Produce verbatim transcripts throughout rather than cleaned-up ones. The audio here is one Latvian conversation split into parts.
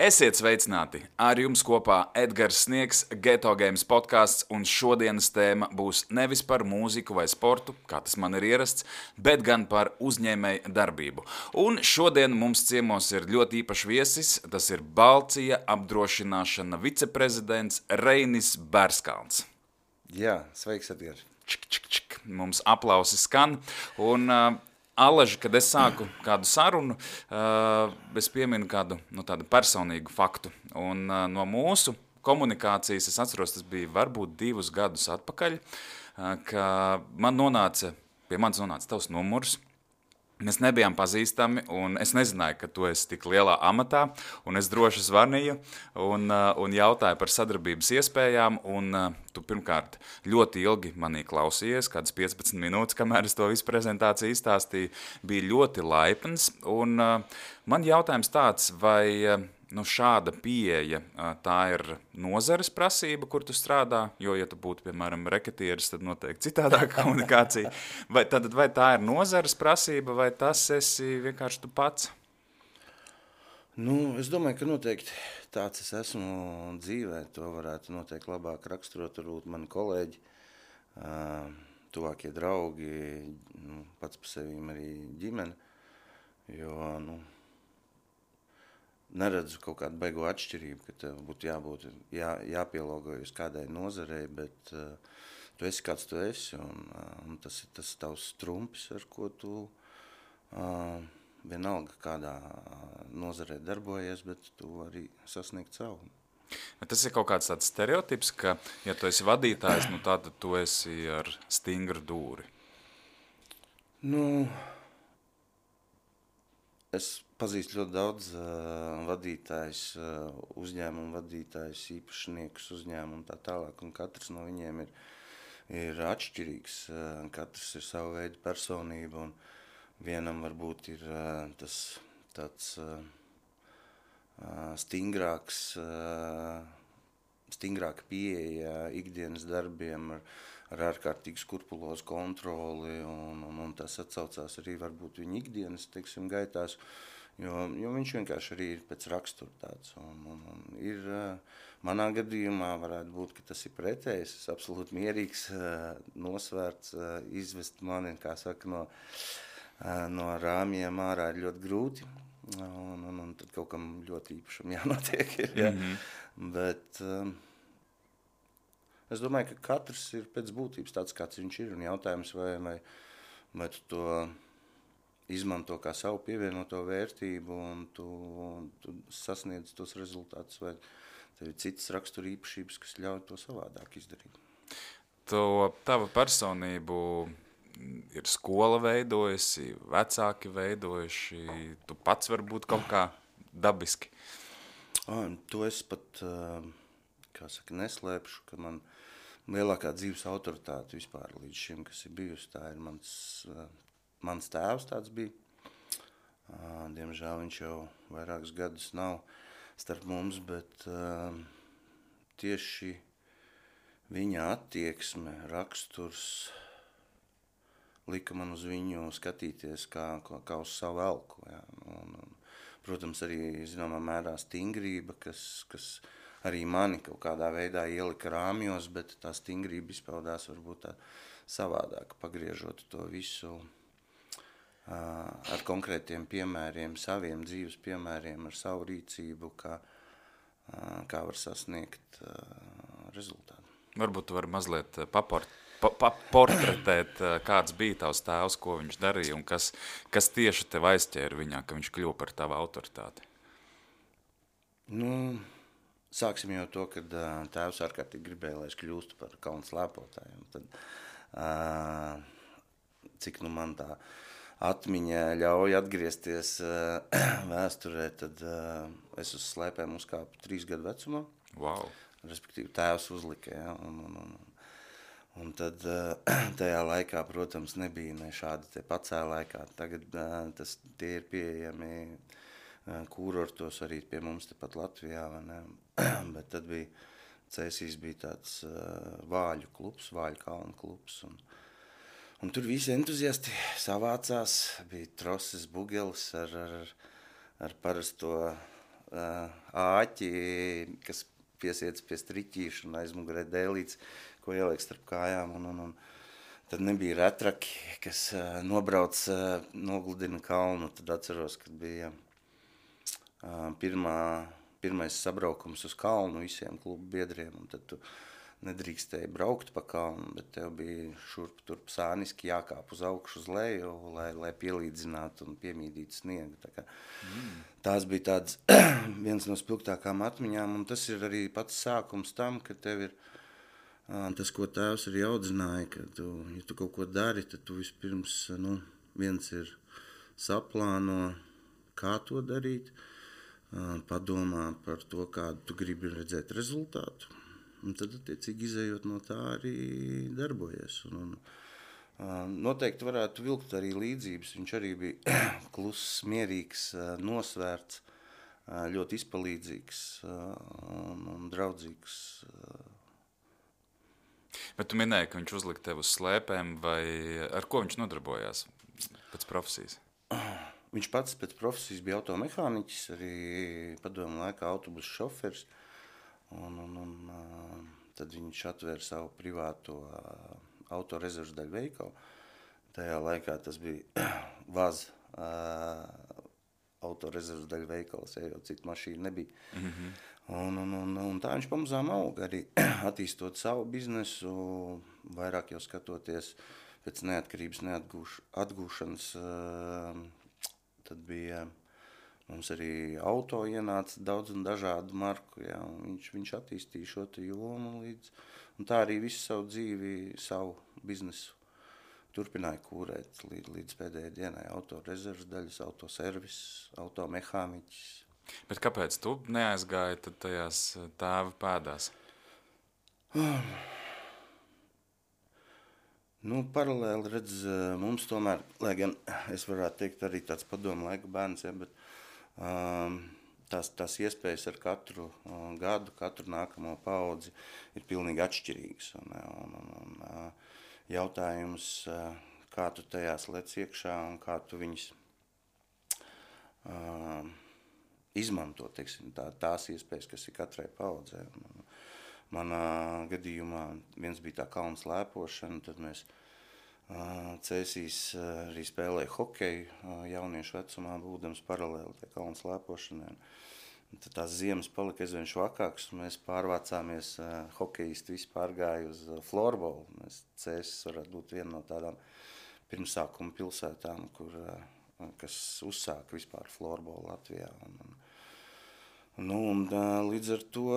Esiet sveicināti! Ar jums kopā Edgars Sniegs, Ghetto Games podcasts, un šodienas tēma būs nevis par mūziku vai sportu, kā tas man ir ierasts, bet gan par uzņēmēju darbību. Un šodien mums ciemos ir ļoti īpašs viesis, tas ir Balcija apdrošināšana viceprezidents Reinis Bērskalns. Jā, sveiks, Edgars. Čik, čik, čik. Mums aplausi skan, un... Uh, Alaži, kad es sāku kādu sarunu, es pieminu kādu nu, tādu personīgu faktu. Un no mūsu komunikācijas, es atceros, tas bija varbūt divus gadus atpakaļ, ka man nonāca, pie manis nonāca tavs numurs. Mēs nebijām pazīstami, un es nezināju, ka tu esi tik lielā amatā, un es droši zvanīju un, un jautāju par sadarbības iespējām, un tu pirmkārt ļoti ilgi manī klausījies, kādas piecpadsmit minūtes, kamēr es to visu prezentāciju izstāstīju, bija ļoti laipns, un man jautājums tāds, vai nu, šāda pieeja, tā ir nozares prasība, kur tu strādā, jo, ja tu būtu, piemēram, reketieris, tad noteikti citādāka komunikācija. Vai, tad, vai tā ir nozares prasība, vai tas esi vienkārši tu pats? Nu, es domāju, ka noteikti tāds es esmu dzīvē. To varētu noteikti labāk raksturot, varbūt mani kolēģi, tuvākie draugi, nu, pats par sevīm arī ģimene, jo, nu, neredzu kaut kādu beigo atšķirību, ka tev būtu jābūt, jā, jāpielāgojas kādai nozarei, bet uh, tu esi kāds tu esi, un, uh, un tas ir tas tavs trumpis, ar ko tu uh, vienalga kādā nozarei darbojies, bet tu vari sasniegt savu. Tas ir kaut kāds tāds stereotips, ka, ja tu esi vadītājs, nu tātad tu esi ar stingru dūri. Nu, es pazīstu ļoti daudz uh, vadītājs, uh, uzņēmumu vadītājs, īpašniekus uzņēmumu un tā tālāk, un katrs no viņiem ir, ir atšķirīgs, uh, katrs ir savu veidu personība, un vienam varbūt ir uh, tas tāds uh, uh, stingrāks, uh, stingrāka pieeja ikdienas darbiem ar, ar ārkārtīgi skurpulozu kontroli, un, un, un tas atsaucās arī varbūt viņa ikdienas, teiksim, gaitās, jo, jo viņš vienkārši arī ir pēc rakstura tāds. Un, un, un ir, manā gadījumā varētu būt, ka tas ir pretējs, es absolūti mierīgs, nosvērts, izvest mani, kā saka, no, no rāmjiem ārā ir ļoti grūti, un, un, un tad kaut kam ļoti īpašam jānotiek ir, ja? Mm-hmm. Bet... Es domāju, ka katrs ir pēc būtības tāds, kāds viņš ir, un jautājums, vai, vai, vai tu to izmanto kā savu pievienoto vērtību, un tu, un tu sasniedz tos rezultātus, vai tev ir citas rakstura īpašības, kas ļauj to savādāk izdarīt. To tava personību ir skola veidojusi, vecāki veidojuši, tu pats varbūt kaut kā dabiski. O, to es pat, kā saka, neslēpšu, ka man lielākā dzīves autoritāte vispār līdz šim, kas ir bijusi, tā ir mans, mans tēvs tāds bija. Diemžēl viņš jau vairākus gadus nav starp mums, bet tieši viņa attieksme, raksturs lika man uz viņu skatīties kā, kā uz savu elku. Jā. Un, un, protams, arī zināmā mērā stingrība, kas, kas arī mani kaut kādā veidā ielika rāmjos, bet tā stingrība izpaudās varbūt tā savādāk, pagriežot to visu uh, ar konkrētiem piemēriem, saviem dzīves piemēriem, ar savu rīcību, kā, uh, kā var sasniegt uh, rezultātu. Varbūt tu vari mazliet paport, pa, pa, portretēt, kāds bija tavs tēvs, ko viņš darīja un kas, kas tieši tev aizķēra viņā, ka viņš kļuva par tavu autoritāti. Nu... Sāksim jau to, kad uh, tēvs ārkārtīgi gribēja, lai es kļūstu par kalnu slēpotāju. Tad, uh, cik nu man tā atmiņa ļauj atgriezties uh, vēsturē, tad uh, es uz slēpēm uzkāpu trīs gadu vecumā. Wow. Respektīvi tēvs uzlika, ja, un, un, un, un tad uh, tajā laikā, protams, nebija ne šādi te pacēlāji, tagad uh, tas, tie ir pieejami kurortos arī pie mums tepat Latvijā, vai ne? Bet tad bija, Cēsīs bija tāds uh, vāļu klubs, vāļu kalnu klubs, un, un tur visi entuziasti savācās, bija troses bugelis ar, ar, ar parasto āķi, kas piesiets pie striķīša un aizmugurē dēlīts, ko ieliek starp kājām. Un, un, un tad nebija retraki, kas nobrauc, nogludina kalnu. Tad atceros, kad bija pirmā, pirmais sabraukums uz kalnu visiem klubu biedriem. Un tad tu nedrīkstēji braukt pa kalnu, bet tev bija šurp turp sāniski jākāp uz augšu uz leju, lai, lai pielīdzinātu un piemīdītu sniegu. Tā kā, mm. Tās bija tāds viens no spilgtākām atmiņām, un tas ir arī pats sākums tam, ka tev ir tas, ko tēvs arī audzināja, ka tu, ja tu kaut ko dari, tad tu vispirms, nu, viens ir saplāno, kā to darīt, padomā par to, kādu tu gribi redzēt rezultātu. Un tad, attiecīgi, izējot no tā arī darbojies. Un, un, noteikti varētu vilkt arī līdzības. Viņš arī bija kluss, mierīgs, nosvērts, ļoti izpalīdzīgs un, un draudzīgs. Bet tu minēji, ka viņš uzlika tev uz slēpēm, vai ar ko viņš nodarbojās pēc profesijas? Viņš pats pēc profesijas bija automehāniķis, arī padomu laikā autobusu šoferis. Un, un, un uh, tad viņš atvēra savu privāto uh, autorezervas daļu veikalu. Tajā laikā tas bija Vaz uh, autorezervas daļu veikals, ja jau citu mašīnu nebija. Mm-hmm. Un, un, un, un tā viņš pamazām auga arī attīstot savu biznesu, vairāk jau skatoties pēc neatkarības neatgūš, atgūšanas. Uh, tad bija... Mums arī auto ienāca daudz un dažādu marku, ja, un viņš, viņš attīstīja šo te jomu līdz, un tā arī visu savu dzīvi, savu biznesu turpināja kūrēt līdz, līdz pēdējai dienai. Auto rezervas daļas, auto servis, auto mehāniķis. Bet kāpēc tu neaizgāji tad tajās tēva pēdās? Nu, paralēli redz, mums tomēr, lai gan es varētu teikt arī tāds padomu laika bērns, ja, bet Um, tās, tās iespējas ar katru uh, gadu, katru nākamo paudzi ir pilnīgi atšķirīgas. Un, un, un, un, uh, jautājums, uh, kā tu tajās lec iekšā un kā tu viņus uh, izmanto, teiksim, tā, tās iespējas, kas ir katrai paudzē. Un, manā gadījumā viens bija tā kalna slēpošana, tad mēs Cēsīs arī spēlēja hokeju jauniešu vecumā, būdams paralēli tie kalnu slēpošanai. Tad tās ziemas palika aizvien švakāks, un mēs pārvācāmies, hokejisti visi pārgāja uz florbolu. Mēs Cēsis varētu būt viena no tādām pirmsākuma pilsētām, kur, kas uzsāka vispār florbolu Latvijā. Un, un, un, līdz ar to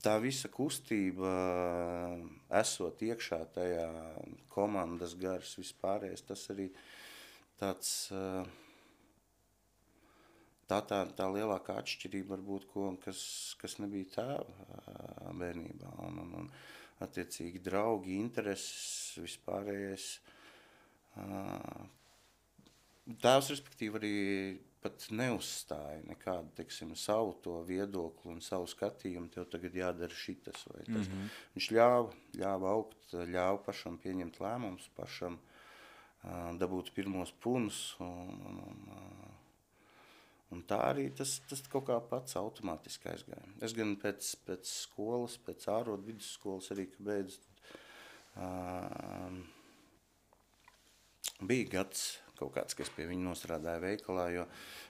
tā visa kustība, esot iekšā tajā komandas gars vispārējais, tas arī tāds, tā, tā, tā lielākā atšķirība varbūt, ko, kas, kas nebija tēva bērnībā. Un, un, un attiecīgi draugi, intereses, vispārējais. Tēvs, respektīvi, arī pat neuzstāja nekādu, teiksim, savu to viedokli un savu skatījumu, tev tagad jādara šitas vai tas. Mm-hmm. Viņš ļāva, ļāva augt, ļāva pašam pieņemt lēmumus, pašam uh, dabūt pirmos punus, un, un, un, un tā arī tas, tas kaut kā pats automātiski aizgāja. Es gan pēc, pēc skolas, pēc ārodu vidusskolas arī, ka beidz, uh, bija gads, kaut kāds, kas pie viņa nostrādāja veikalā, jo,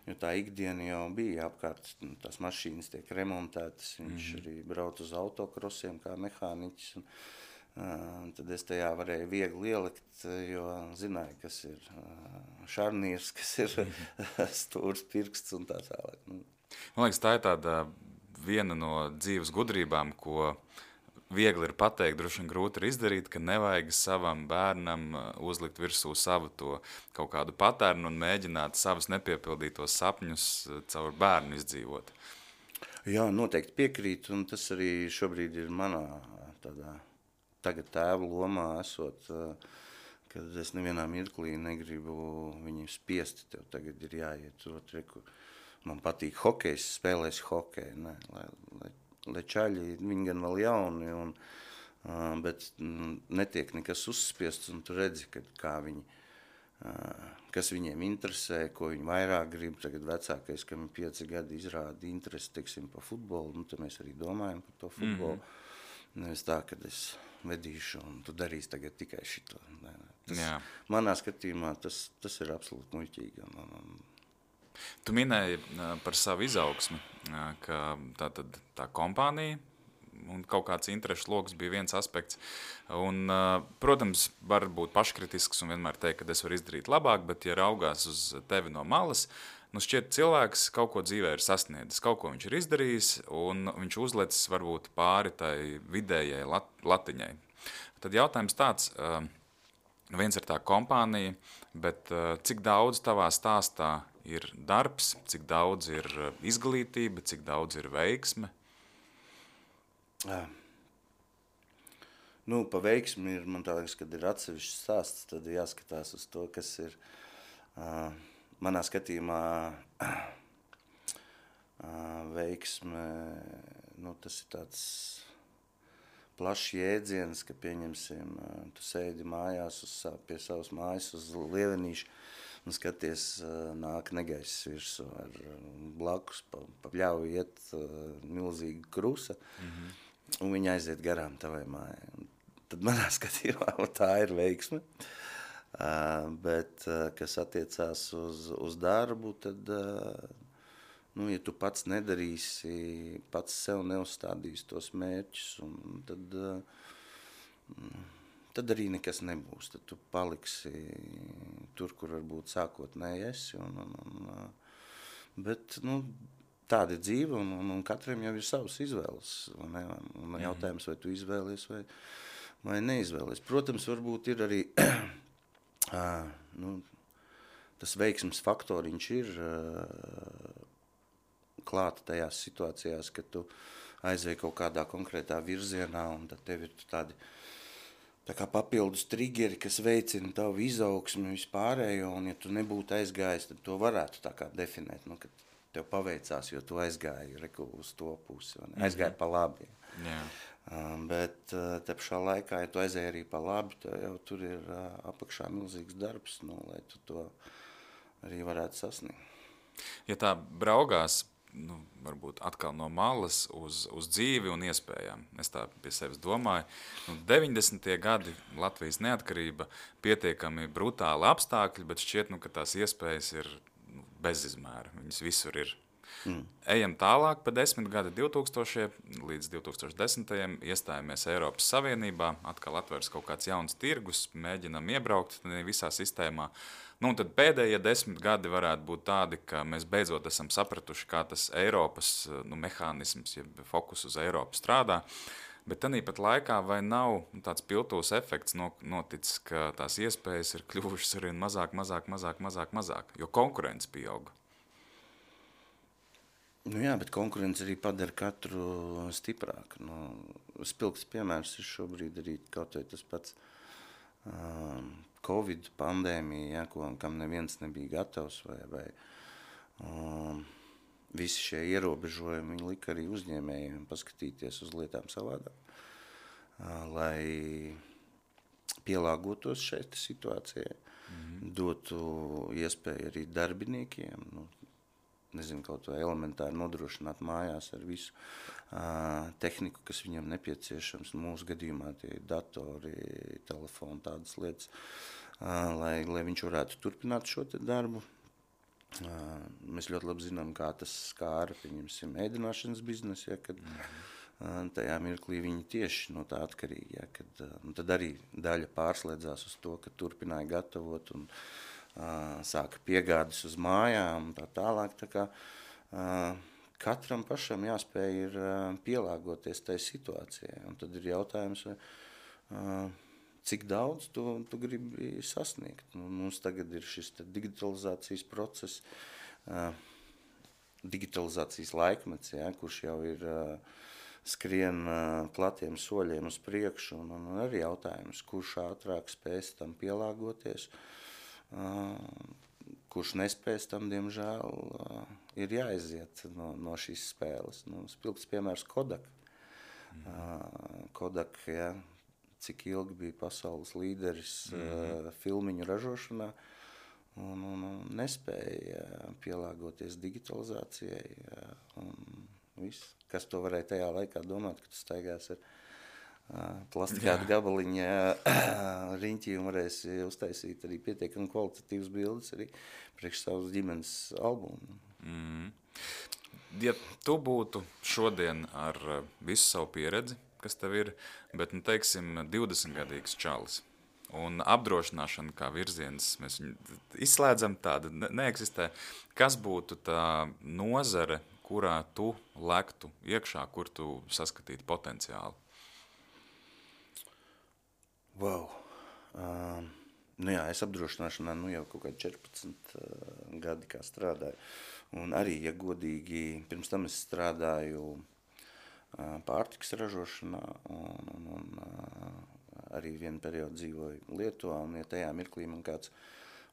jo tā ikdiena jau bija apkārt, tās mašīnas tiek remontētas, viņš mm-hmm. arī brauc uz autokrosiem kā mehāniķis, un uh, tad es tajā varēju viegli ielikt, jo zināju, kas ir uh, šarnīrs, kas ir mm-hmm. stūrs pirksts un tā tālāk. Nu. Man liekas, tā ir tāda viena no dzīves gudrībām, ko viegli ir pateikt, droši vien grūti ir izdarīt, ka nevajag savam bērnam uzlikt virsū savu to kaut kādu patērnu un mēģināt savus nepiepildītos sapņus caur bērnu izdzīvot. Jā, noteikti piekrīt, un tas arī šobrīd ir manā tādā tagad tēva lomā esot, kad es nevienā mirklī negribu viņu spiest, tev tagad ir jāiet tur, kur man patīk hokejs, spēlēs hokeju, ne, lai, lai lai čaļi, viņi gan vēl jauni, un, uh, bet mm, netiek nekas uzspiests, un tu redzi, ka, kā viņi kas viņiem interesē, ko viņi vairāk grib. Tagad vecākais, kam ir pieci gadi, izrāda interesi, teiksim, pa futbolu, nu, tad mēs arī domājam par to futbolu. Mm-hmm. Nevis tā, kad es vedīšu un tu darīsi tagad tikai šito. Tas, manā skatījumā tas, tas ir absolūti muļķīgi. Un, un, Tu minēji par savu izaugsmi, ka tā, tad, tā kompānija un kaut kāds interešu loks bija viens aspekts. Un, protams, var būt paškritisks un vienmēr teikt, ka es varu izdarīt labāk, bet, ja raugās uz tevi no malas, nu šķiet cilvēks kaut ko dzīvē ir sasniedzis, kaut ko viņš ir izdarījis, un viņš uzlecis varbūt pāri tai vidējai lat, latiņai. Tad jautājums tāds, viens ir tā kompānija, bet cik daudz tavā stāstā ir darbs, cik daudz ir izglītība, cik daudz ir veiksme? Jā. Nu, pa veiksmi ir, man tā liekas, kad ir atsevišķs stāsts, tad jāskatās uz to, kas ir uh, manā skatījumā uh, veiksme, nu, tas ir tāds plašs jēdziens, ka pieņemsim, uh, tu sēdi mājās uz, pie savas mājas uz lievenīšu un skaties, uh, nāk negaiss virsū ar uh, blakus, pa, pa pļauju iet uh, milzīga krusa, mm-hmm. un viņa aiziet garām tavai mājai. Un tad manā skatījumā tā ir veiksme, uh, bet uh, kas attiecās uz, uz darbu, tad, uh, nu, ja tu pats nedarīsi, pats sev neuzstādīsi tos mērķus, un tad, uh, tad arī nekas nebūs. Tad tu paliksi tur, kur varbūt sākotnēji esi. Un, un, un, uh, bet, nu, tāda ir dzīve, un, un, un katram jau ir savas izvēles. Un, un jautājums, vai tu izvēlies vai, vai neizvēlies. Protams, varbūt ir arī uh, nu, tas veiksmes faktoriņš ir uh, klāta tajās situācijās, kad tu aizēji kaut kādā konkrētā virzienā, un tad tev ir tādi tā kā papildus triggeri, kas veicina tavu izaugsmi vispārējo, un ja tu nebūtu aizgājis, tad to varētu tā kā definēt, nu, kad tev paveicās, jo tu aizgāji reku uz to pusi, un aizgāji mm-hmm. pa labi. Yeah. Um, bet uh, te pašā laikā, ja tu aizēji arī pa labi, tev jau tur ir uh, apakšā milzīgs darbs, nu, lai tu to arī varētu sasniegt. Ja tā braugās, nu, varbūt atkal no malas uz, uz dzīvi un iespējām, es tā pie sevis domāju, nu, deviņdesmitie gadi Latvijas neatkarība, pietiekami brutāli apstākļi, bet šķiet, nu, ka tās iespējas ir bezizmēra, viņas visur ir. Mm. Ejam tālāk pa desmit gadi divtūkstošie līdz divtūkstošdesmitajiem iestājamies Eiropas Savienībā, atkal atveras kaut kāds jauns tirgus, mēģinam iebraukt visā sistēmā. Nu, un tad pēdējie desmit gadi varētu būt tādi, ka mēs beidzot esam sapratuši, kā tas Eiropas nu, mehānisms, ja fokus uz Eiropu strādā. Bet tāpat laikā vai nav tāds piltūs efekts noticis, ka tās iespējas ir kļuvušas arī mazāk, mazāk, mazāk, mazāk, mazāk, jo konkurence pieauga? Nu jā, bet konkurence arī padara katru stiprāku. Nu, spilgts piemērs ir šobrīd arī kaut vai tas pats um, Covid pandēmija, ja, ko, kam neviens nebija gatavs vai, vai um, visi šie ierobežojumi viņi lika arī uzņēmējiem paskatīties uz lietām savādāk, lai pielāgotos šai situācijai, mm-hmm. dotu iespēju arī darbiniekiem, nu, nezinu, kaut vai elementāri nodrošināt mājās ar visu uh, tehniku, kas viņam nepieciešams. Mūsu gadījumā tie datori, telefoni, tādas lietas, uh, lai, lai viņš varētu turpināt šo te darbu. Uh, mēs ļoti labi zinām, kā tas skāra, pieņemsim, ēdināšanas biznesu, ja, kad uh, tajā mirklī viņi tieši no tā atkarīgi, ja, kad uh, un tad arī daļa pārslēdzās uz to, ka turpināja gatavot un uh, sāka piegādes uz mājām un tā tālāk, tā kā uh, katram pašam jāspēj ir uh, pielāgoties tai situācijai, un tad ir jautājums, vai uh, cik daudz tu, tu gribi sasniegt. Nu, mums tagad ir šis digitalizācijas process, uh, digitalizācijas laikmets, ja, kurš jau ir uh, skrien uh, platiem soļiem uz priekšu, un, un arī jautājums, kurš ātrāk spēs tam pielāgoties, uh, kurš nespēs tam, diemžēl, uh, ir jāiziet no, no šīs spēles. Nu, spilgts piemērs Kodak. Uh, Kodak, ja, cik ilgi bija pasaules līderis mm-hmm. uh, filmiņu ražošanā, un, un, un nespēja pielāgoties digitalizācijai. Un viss, kas to varēja tajā laikā domāt, ka tu staigās ar plastikātu gabaliņu riņķī un varēsi uztaisīt arī pietiekami kvalitatīvas bildes arī priekš savas ģimenes albumu. Mm. Ja tu būtu šodien ar visu savu pieredzi, kas tev ir, bet, nu, teiksim, divdesmitgadīgs čalis, un apdrošināšana kā virziens, mēs viņu izslēdzam, tāda ne- neeksistē, kas būtu tā nozare, kurā tu lektu iekšā, kur tu saskatītu potenciālu? Wow. Um, nu jā, es apdrošināšanā nu jau kaut kādi četrpadsmit uh, gadi kā strādāju. Un arī, ja godīgi, pirms tam es strādāju uh, pārtikas ražošanā un, un, un uh, arī vienu periodu dzīvoju Lietuvā. Un ja tajā mirklī man kāds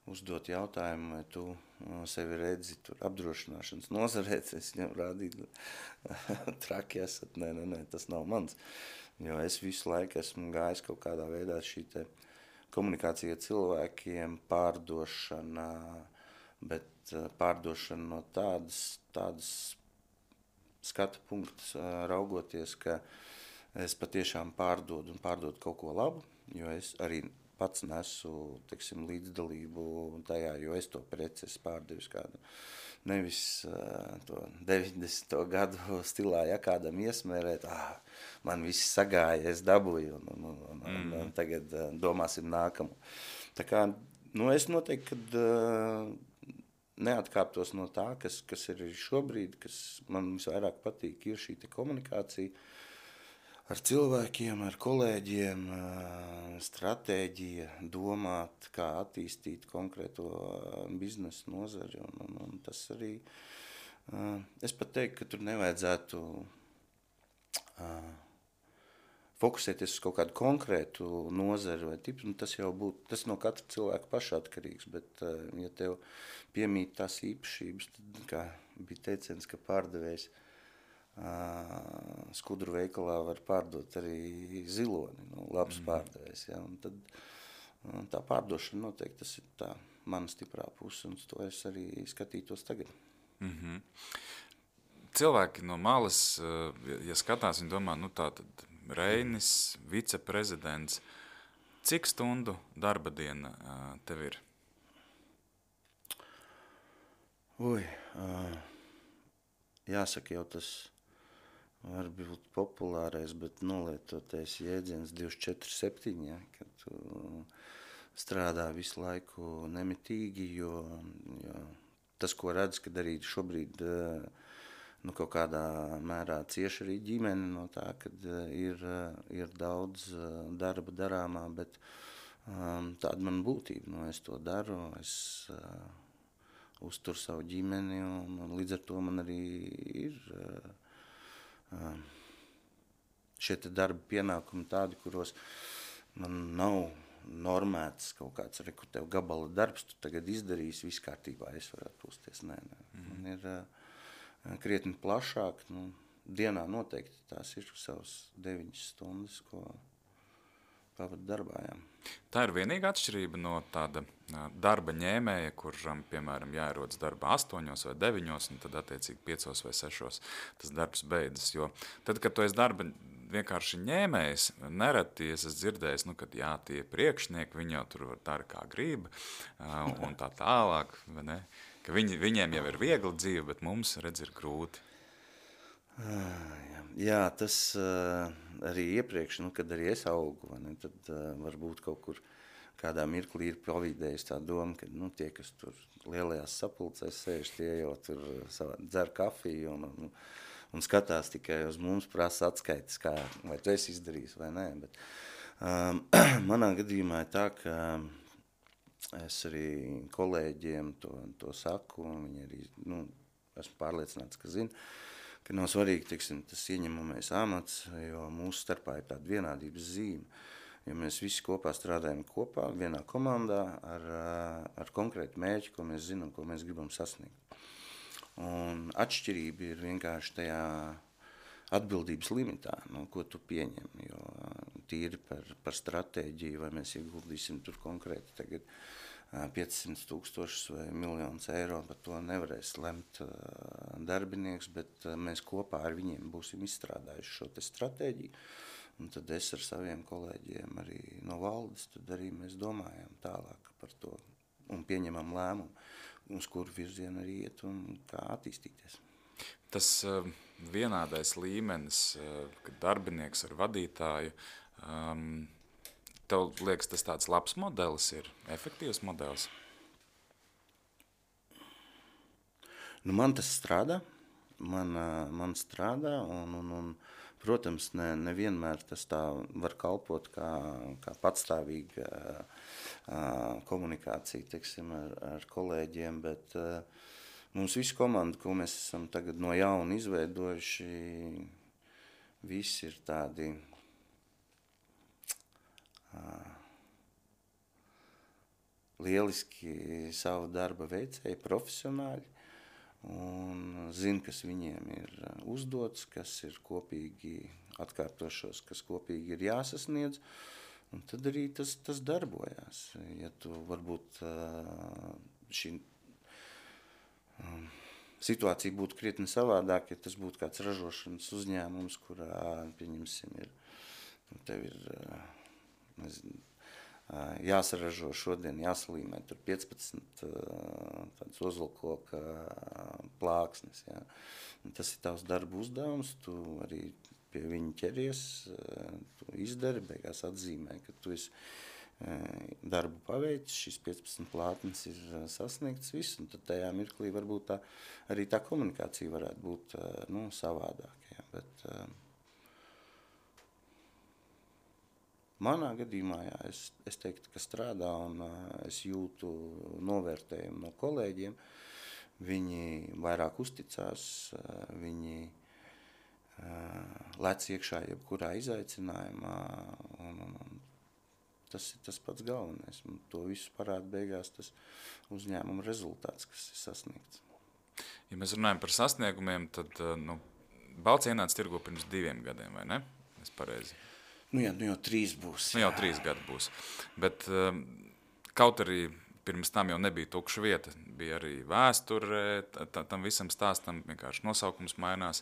uzdot jautājumu, vai tu uh, sevi redzi tur apdrošināšanas nozarēs, es viņam rādīju traki esat, nē, nē, nē, tas nav mans. Jo es visu laiku esmu gājis kaut kādā veidā šī te komunikācija cilvēkiem, pārdošana, bet pārdošana no tādas, tādas skatu punktus raugoties, ka es patiešām pārdodu un pārdodu kaut ko labu, jo es arī pats nesu, teiksim, līdzdalību tajā, jo es to preci esmu pārdevis kādu. Nevis uh, to deviņdesmito gadu stilā, ja kādam iesmērēt, ah, man viss sagāja, es dabūju, un, un, un, un, un tagad uh, domāsim nākamu. Tā kā, nu, es noteikti, kad uh, neatkāptos no tā, kas, kas ir šobrīd, kas man visvairāk patīk, ir šī te komunikācija ar cilvēkiem, ar kolēģiem, stratēģija, domāt, kā attīstīt konkrēto biznesu nozari. Un, un, un tas arī, es pat teiktu, ka tur nevajadzētu fokusēties uz kaut kādu konkrētu nozari vai tipu. Tas jau būtu, tas no katra cilvēka paša atkarīgs, bet ja tev piemīt tās īpašības, tad, kā bija teiciens, ka pārdevējs skudru veikalā var pārdot arī ziloni, nu, labs mm. pārdevējs, ja, un tad tā pārdošana noteikti tas ir tā mana stiprā puse, un to es arī skatītos tagad. Mm-hmm. Cilvēki no malas, ja skatās, viņi domā, nu tā tad Reinis, viceprezidents, cik stundu darba diena tev ir? Ui, jāsaka jau tas var būt populārais, bet nolietotais jēdziens divdesmit četri septiņi, ja, kad tu strādā visu laiku nemitīgi, jo, jo tas, ko redz, kad arī šobrīd nu, kaut kādā mērā cieši arī ģimene no tā, kad ir, ir daudz darba darāmā, bet um, tāda man būtība, nu, es to daru, es uh, uzturu savu ģimeni, un, un līdz ar to man arī ir uh, šie te darba pienākumi tādi, kuros man nav normēts kaut kāds, reku tev gabala darbs, tu tagad izdarīsi, viss kārtībā, es varu atpūsties. Nē, nē. Mm. Man ir uh, krietni plašāk, nu, dienā noteikti tās ir savas deviņas stundas, ko pavadu darbā, jā. Tā ir vienīga atšķirība no tāda darba ņēmēja, kuram, piemēram, jāierodas darbā astoņos vai deviņos, un tad attiecīgi piecos vai sešos tas darbs beidzas. Jo tad, kad tu esi darba vienkārši ņēmējs, nereti es esmu dzirdējis, nu, kad jā, tie priekšnieki, viņi jau tur dara kā grib, un tā tālāk, vai ne? Ka viņi, viņiem jau ir viegli dzīve, bet mums, redz, ir grūti. Jā, jā, tas uh, arī iepriekš, nu, kad arī es augu, ne, tad uh, varbūt kaut kur kādā mirklī ir pavīdējis tā doma, ka nu, tie, kas tur lielajās sapulcēs sēž, tie jau tur savā, dzer kafiju un, un, un skatās tikai uz mums, prasa atskaites, kā, vai tu esi izdarījis vai nē. Bet, um, manā gadījumā ir tā, ka es arī kolēģiem to, to saku, un viņi arī, nu, esmu pārliecināts, ka zina, ka nav svarīgi, teiksim, tas ieņemamais amats, jo mūsu starpā ir tāda vienādības zīme. Jo mēs visi kopā strādājam kopā, vienā komandā ar, ar konkrētu mērķi, ko mēs zinām, ko mēs gribam sasniegt. Un atšķirība ir vienkārši tajā atbildības limitā, no ko tu pieņem, jo tīri par, par stratēģiju, vai mēs ieguldīsim tur konkrēti tagad piecsimt tūkstošus vai miljonus eiro, par to nevarēs lemt darbinieks, bet mēs kopā ar viņiem būsim izstrādājuši šo te stratēģiju. Un tad es ar saviem kolēģiem arī no valdes, tad arī mēs domājam tālāk par to un pieņemam lēmumu, uz kuru virzienu arī iet un kā attīstīties. Tas uh, vienādais līmenis, uh, kad darbinieks ar vadītāju, um, tev liekas, tas tāds labs modelis ir, efektīvs modelis? Nu, man tas strādā, man, man strādā, un, un, un protams, ne, nevienmēr tas tā var kalpot kā, kā patstāvīga komunikācija, teiksim, ar, ar kolēģiem, bet mums visu komandu, ko mēs esam tagad no jauna izveidojuši, visi ir tādi lieliski savu darba veicēji, profesionāļi, un zina, kas viņiem ir uzdots, kas ir kopīgi atkārtošos, kas kopīgi ir jāsasniedz, un tad arī tas, tas darbojās. Ja tu varbūt šī situācija būtu krietni savādāk, ja tas būtu kāds ražošanas uzņēmums, kurā, pieņemsim, ir, tev ir, nezinu, jāsaražo šodien, jāsalīmē tur piecpadsmit tādas ozolkoka plāksnes. Jā. Un tas ir tavs darba uzdevums, tu arī pie viņa ķeries, tu izdari, beigās atzīmē, ka tu esi darbu paveicis, šīs piecpadsmit plātnes ir sasniegts viss, un tad tajā mirklī varbūt tā, arī tā komunikācija varētu būt nu, savādāk. Jā. Bet, manā gadījumā jā, es, es teiktu, ka strādā un uh, es jūtu novērtējumu no kolēģiem. Viņi vairāk uzticās, uh, viņi uh, lec iekšā jebkurā izaicinājumā. Un, un, un tas ir tas pats galvenais. Un to visu parāda beigās tas uzņēmuma rezultāts, kas ir sasniegts. Ja mēs runājam par sasniegumiem, tad uh, nu, Balts ienāca tirgu pirms diviem gadiem, vai ne? Es pareizi. Nu jā, nu jau trīs būs. Nu jau trīs gadi būs. Bet um, kaut arī pirms tam jau nebija tukša vieta. Bija arī vēsture, tam visam stāstam vienkārši nosaukums mainās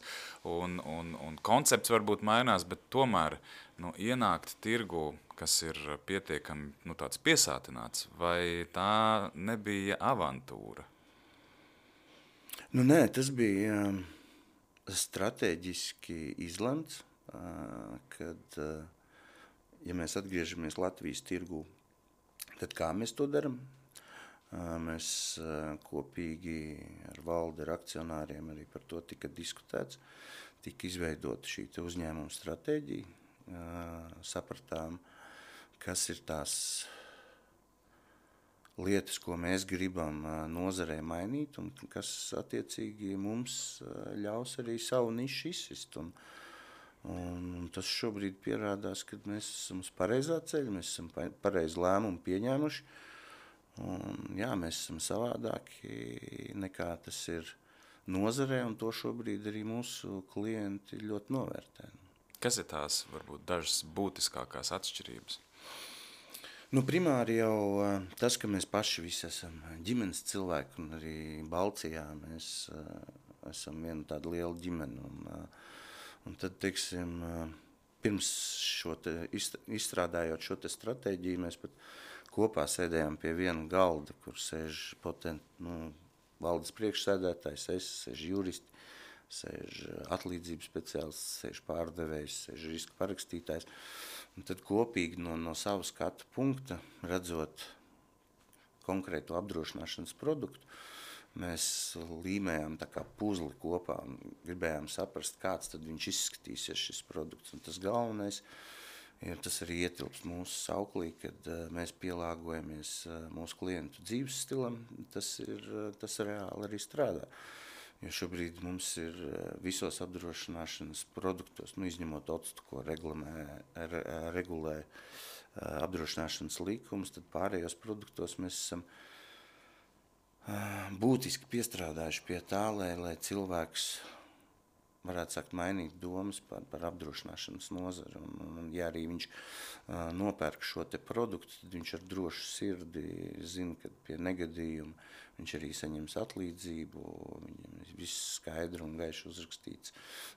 un, un, un koncepts varbūt mainās, bet tomēr nu, ienākt tirgu, kas ir pietiekami nu, tāds piesātināts, vai tā nebija avantūra? Nu nē, tas bija um, strateģiski izlemts, uh, kad... Uh, Ja mēs atgriežamies Latvijas tirgū, tad kā mēs to daram? Mēs kopīgi ar valdi, ar akcionāriem arī par to tika diskutēts, tika izveidota šī uzņēmuma stratēģija, sapratām, kas ir tās lietas, ko mēs gribam nozarē mainīt un kas attiecīgi mums ļaus arī savu nišu izsist. Un, Un tas šobrīd pierādās, ka mēs esam uz pareizā ceļa, mēs esam pareizi lēmumu pieņēmuši. Un, jā, mēs esam savādāki nekā tas ir nozarē, un to šobrīd arī mūsu klienti ļoti novērtē. Kas ir tās, varbūt, dažas būtiskākās atšķirības? Nu, primāri jau tas, ka mēs paši visi esam ģimenes cilvēki, un arī Balcijā mēs esam viena tāda liela ģimene. Un, Un tad, teiksim, pirms šo te izstrādājot šo te stratēģiju, mēs pat kopā sēdējām pie viena galda, kur sēž potent, nu, valdes priekšsēdētājs, es, sēž juristi, sēž atlīdzības speciālists, sēž pārdevējs, sēž riska parakstītājs. Un tad kopīgi no, no savu skatu punkta, redzot konkrētu apdrošināšanas produktu, mēs līmējām tā kā puzli kopā un gribējām saprast, kāds tad viņš izskatīsies šis produkts. Un tas galvenais ir, tas arī ietilps mūsu sauklī, kad mēs pielāgojamies mūsu klientu dzīves stilam, tas, ir, tas reāli arī strādā. Jo šobrīd mums ir visos apdrošināšanas produktos, nu, izņemot octu, ko regulē, regulē apdrošināšanas līkumus, tad pārējos produktos mēs esam būtiski piestrādājuši pie tā, lai, lai cilvēks varētu sakt, mainīt domas par, par apdrošināšanas nozari. Un, un, un, ja arī viņš uh, nopērk šo te produktu, tad viņš ar drošu sirdi zina, ka pie negadījuma viņš arī saņems atlīdzību, viņam viss skaidri un gaiši uzrakstīts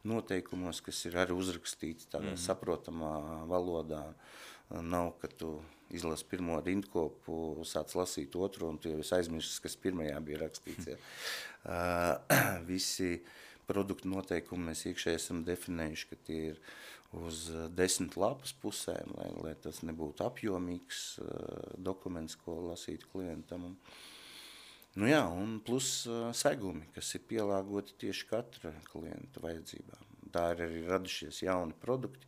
noteikumos, kas ir arī uzrakstīts tādā mm. saprotamā valodā. Nav, ka tu izlasi pirmo rindkopu, sāc lasīt otru, un tu jau esi aizmirsis, kas pirmajā bija rakstīts. Ja. Uh, visi produktu noteikumi mēs iekšēji esam definējuši, ka tie ir uz desmit lapas pusēm, lai, lai tas nebūtu apjomīgs uh, dokuments, ko lasīt klientam. Un, nu jā, un plus uh, segumi, kas ir pielāgoti tieši katra klienta vajadzībām. Tā ir arī radušies jauni produkti,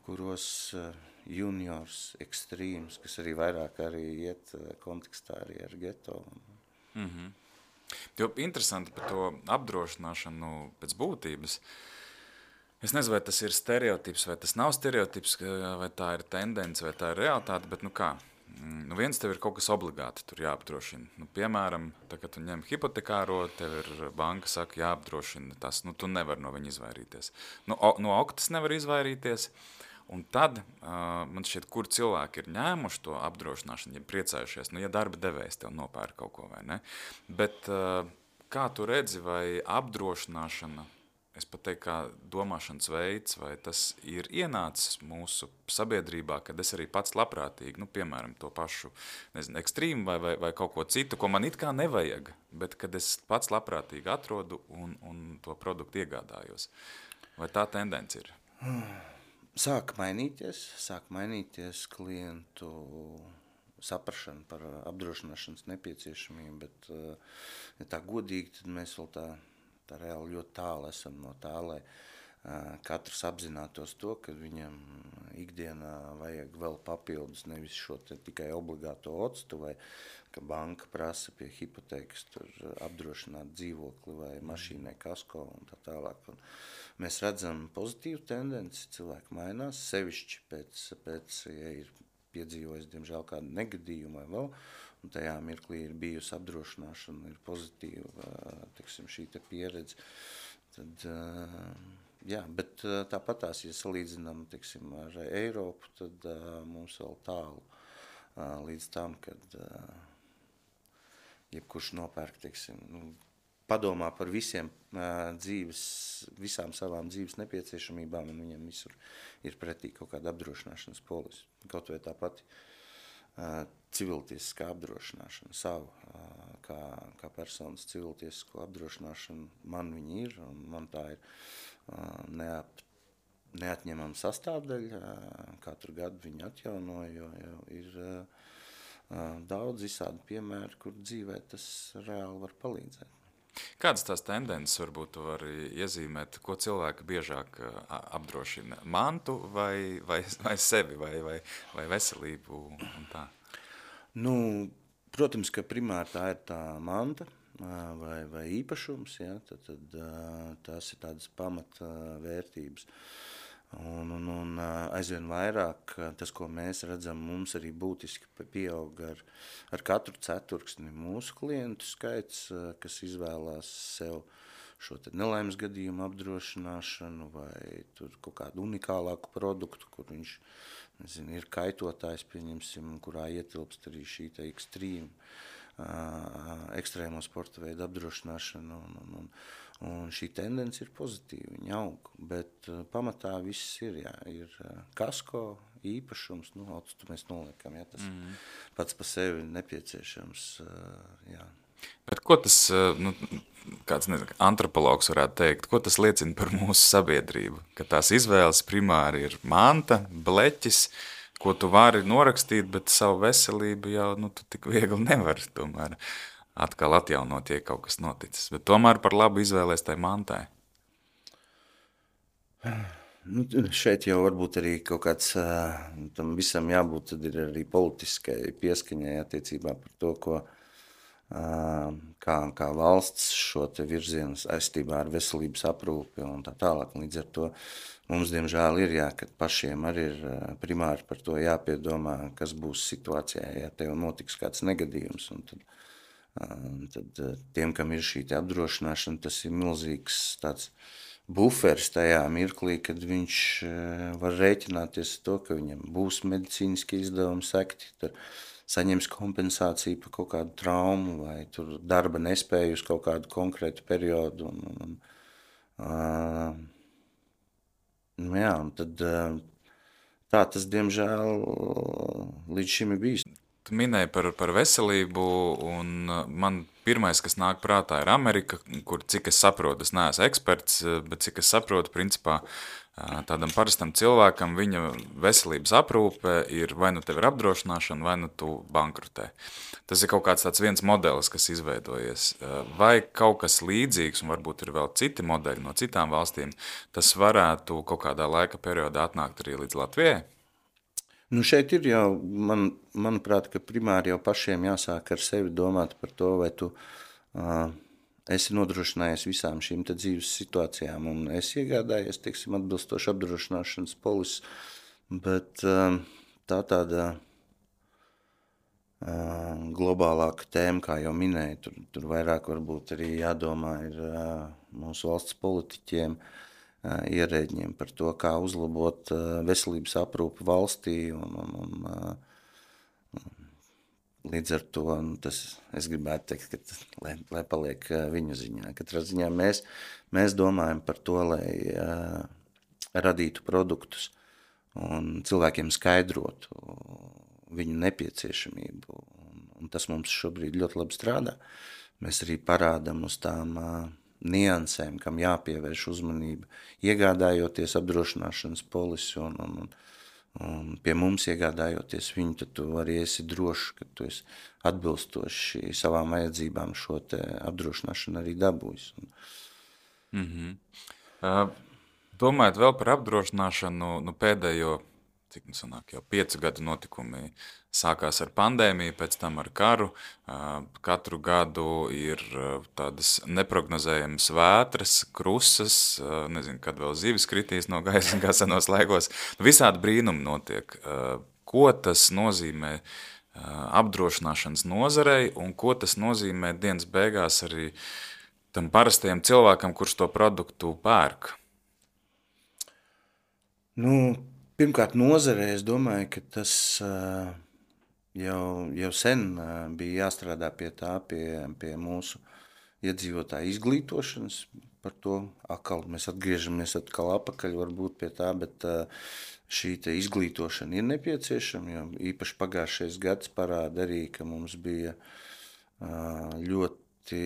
kuros uh, juniors, ekstrīms, kas arī vairāk arī iet uh, kontekstā arī ar geto. Mm-hmm. Jo interesanti par to apdrošināšanu pēc būtības. Es nezinu, vai tas ir stereotips, vai tas nav stereotips, vai tā ir tendence, vai tā ir realitāte, bet nu kā, nu viens tev ir kaut kas obligāti tur jāapdrošina. Nu, piemēram, tā, kad tu ņem hipotekāro, tev ir banka saka jāapdrošina tas, nu tu nevar no viņa izvairīties. Nu, o, no oktas nevar izvairīties. Un tad, uh, man šķiet, kur cilvēki ir ņēmuši to apdrošināšanu, ja priecājušies, nu, ja darba devējs tev nopērk kaut ko, vai ne? Bet uh, kā tu redzi, vai apdrošināšana, es pat teiktu, kā domāšanas veids, vai tas ir ienācis mūsu sabiedrībā, kad es arī pats labprātīgi, nu, piemēram, to pašu, nezinu, ekstrīmu vai, vai, vai kaut ko citu, ko man it kā nevajag, bet kad es pats labprātīgi atrodu un, un to produktu iegādājos. Vai tā tendence ir? Sāk mainīties, sāk mainīties klientu saprašana par apdrošināšanas nepieciešamību, bet, ja tā godīgi, tad mēs vēl tā, tā reāli ļoti tālu esam no tā, lai katrs apzinātos to, ka viņam ikdienā vajag vēl papildus, nevis šo te tikai obligāto octu, vai ka banka prasa pie hipotēkas tur apdrošināt dzīvokli vai mašīnai kasko un tā tālāk. Un mēs redzam pozitīvu tendenci, cilvēki mainās, sevišķi pēc, pēc ja ir piedzīvojis, diemžēl, kādu negadījumu vai vēl, un tajā mirklī ir bijusi apdrošināšana, ir pozitīva, tiksim, šī te pieredze. Tad, jā, bet tāpatās, ja salīdzinām, tiksim, ar Eiropu, tad mums vēl tālu līdz tam, kad jebkurš nopērk, tiksim, nu, padomā par visiem uh, dzīves, visām savām dzīves nepieciešamībām, un viņam visur ir pretī kaut kāda apdrošināšanas polisi. Kaut vai tā pati uh, civiltiesiskā apdrošināšana savu, uh, kā, kā personas civiltiesisko apdrošināšanu man viņi ir, un man tā ir uh, neap, neatņemama sastāvdaļa, uh, katru gadu viņi atjauno, jo, jo ir uh, uh, daudz visādi piemēri, kur dzīvē tas reāli var palīdzēt. Kādas tās tendences varbūt tu vari iezīmēt, ko cilvēki biežāk apdrošina? Mantu vai, vai, vai sevi, vai, vai, vai veselību un tā? Nu, protams, ka primāri tā ir tā manta vai, vai īpašums, ja, tad, tad tās ir tādas pamatvērtības. Un, un, un aizvien vairāk tas, ko mēs redzam, mums arī būtiski pieaug ar, ar katru ceturksni mūsu klientu skaits, kas izvēlās sev šo te nelaimes gadījumu apdrošināšanu vai tur kaut kādu unikālāku produktu, kur viņš, nezinu, ir kaitotājs, pieņemsim, kurā ietilpst arī šī te ekstrīma, ekstrēmo sporta veidu apdrošināšana un, un, un Un šī tendence ir pozitīva, viņa aug, bet uh, pamatā viss ir, jā, ir uh, kasko, īpašums, nu, otstu mēs noliekam, jā, tas mm. pats pa sevi nepieciešams, uh, jā. Bet ko tas, nu, kāds, nezinu, antropologs varētu teikt, ko tas liecina par mūsu sabiedrību? Ka tās izvēles primāri ir manta, bleķis, ko tu vari norakstīt, bet savu veselību jau, nu, tu tik viegli nevari tomēr atkal atjaunot, ja kaut kas noticis. Bet tomēr par labu izvēlēs tai mantai. Nu, šeit jau varbūt arī kaut kāds, tam visam jābūt, tad ir arī politiskai pieskaņai attiecībā par to, ko, kā, kā valsts šo te virzienu saistībā ar veselības aprūpi un tā tālāk. Līdz ar to mums, diemžēl, ir jā, kad pašiem arī ir primāri par to jāpiedomā, kas būs situācijā, ja tev notiks kāds negadījums. Un tad, tad tiem, kam ir šī te apdrošināšana, tas ir milzīgs tāds buferis tajā mirklī, kad viņš var rēķināties to, ka viņam būs medicīniski izdevumi sekti, tad saņems kompensāciju par kaut kādu traumu vai tur darba nespēju uz kaut kādu konkrētu periodu. Un, un, un, uh, nu jā, un tad uh, tā tas, diemžēl, līdz šim ir bijis. Tu minēji par, par veselību, un man pirmais, kas nāk prātā, ir Amerika, kur, cik es saprotu, es neesmu eksperts, bet cik es saprotu, principā tādam parastam cilvēkam viņa veselības aprūpe ir vai nu tev ir apdrošināšana, vai nu tu bankrutē. Tas ir kaut kāds tāds viens modelis, kas izveidojies. Vai kaut kas līdzīgs, un varbūt ir vēl citi modeļi no citām valstīm, tas varētu kaut kādā laika periodā atnākt arī līdz Latvijai? Nu šeit ir jau, man, manuprāt, ka primāri jau pašiem jāsāk ar sevi domāt par to, vai tu uh, esi nodrošinājies visām šīm te dzīves situācijām, un esi iegādājies, teiksim, atbilstoši apdrošināšanas polis, bet uh, tā tāda uh, globālāka tēma, kā jau minēju, tur, tur vairāk varbūt arī jādomā ir uh, mūsu valsts politiķiem, ierēģiem par to, kā uzlabot veselības aprūpi valstī, un, un, un līdz ar to tas, es gribētu teikt, ka, lai, lai paliek viņu ziņā. Katrā ziņā mēs, mēs domājam par to, lai uh, radītu produktus un cilvēkiem skaidrotu viņu nepieciešamību, un, un tas mums šobrīd ļoti labi strādā. Mēs arī parādam uz tām uh, niansēm, kam jāpievērš uzmanība, iegādājoties apdrošināšanas polisi un, un, un pie mums iegādājoties viņu, tad tu arī esi drošs, ka tu esi atbilstoši savām vajadzībām šo te apdrošināšanu arī dabūjis. Mm-hmm. Uh, domājot vēl par apdrošināšanu, nu pēdējo, cik nu sanāk, jau piecu gadu notikumi sākās ar pandēmiju, pēc tam ar karu. Katru gadu ir tādas neprognozējamas vētras, krusas, nezinu, kad vēl zivis kritīs no gaisa, kā senos laikos. Visādi brīnumi notiek. Ko tas nozīmē apdrošināšanas nozarei un ko tas nozīmē dienas beigās arī tam parastajam cilvēkam, kurš to produktu pērk? Nu, pirmkārt, nozarē es domāju, ka tas uh, jau, jau sen uh, bija jāstrādā pie tā, pie, pie mūsu iedzīvotāju izglītošanas. Par to atkal mēs atgriežamies atkal apakaļ varbūt pie tā, bet uh, šī te izglītošana ir nepieciešama, jo īpaši pagājušais gads parāda arī, ka mums bija uh, ļoti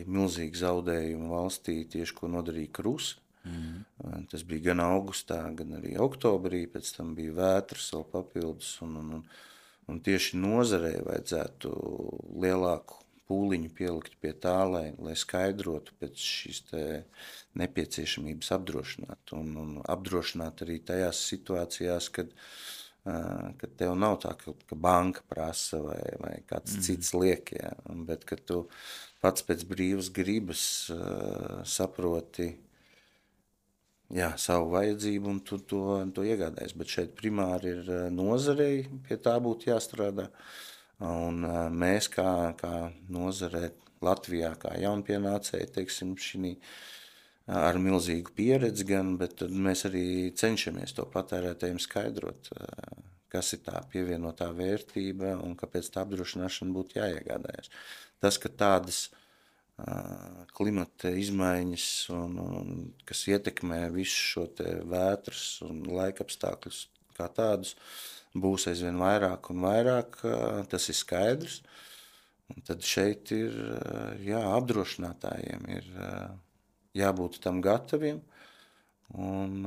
milzīgi zaudējumi valstī tieši, ko nodarīja krusa. Mm. Tas bija gan augustā, gan arī oktobrī, pēc tam bija vētras vēl papildus, un, un, un tieši nozarei vajadzētu lielāku pūliņu pielikt pie tā, lai, lai skaidrotu pēc šīs te nepieciešamības apdrošināt, un, un apdrošināt arī tajās situācijās, kad, kad tev nav tā, ka, ka banka prasa vai, vai kāds mm. cits liek, jā, bet kad tu pats pēc brīvas gribas uh, saproti, jā, savu vajadzību, un tu to, to iegādājies. Bet šeit primāri ir nozarei, pie tā būtu jāstrādā. Un mēs kā, kā nozarē Latvijā, kā jaunpienācēji, teiksim, šī ar milzīgu pieredzi gan, bet mēs arī cenšamies to patērētājiem skaidrot, kas ir tā pievienotā vērtība un kāpēc tā apdrošināšana būtu jāiegādājas. Tas, ka tādas klimata izmaiņas, un, un, kas ietekmē visu šo te vētras un laikapstākļus kā tādus, būs aizvien vairāk un vairāk, tas ir skaidrs. Un tad šeit ir, jā, apdrošinātājiem ir jābūt tam gataviem un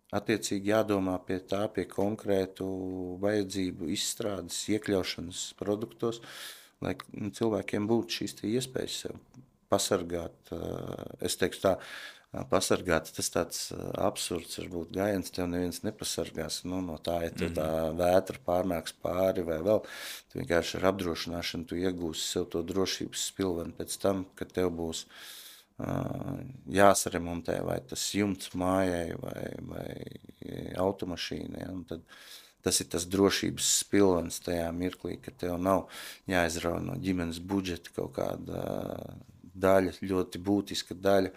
attiecīgi jādomā pie tā, pie konkrētu vajadzību izstrādes, iekļaušanas produktos, lai cilvēkiem būtu šīs iespējas sev pasargāt. Es teiktu tā, pasargāt, tas tāds absurds, varbūt gājiens tev neviens nepasargās, nu, no tā, ja tev tā vētra pārnāks pāri vai vēl, tu vienkārši ar apdrošināšanu tu iegūsi sev to drošības spilveni pēc tam, kad tev būs uh, jāsaremontē vai tas jumts mājai vai, vai automašīnai, un tad tas ir tas drošības spilvens tajā mirklī, ka tev nav jāizrauj no ģimenes budžeta kaut kāda daļa, ļoti būtiska daļa,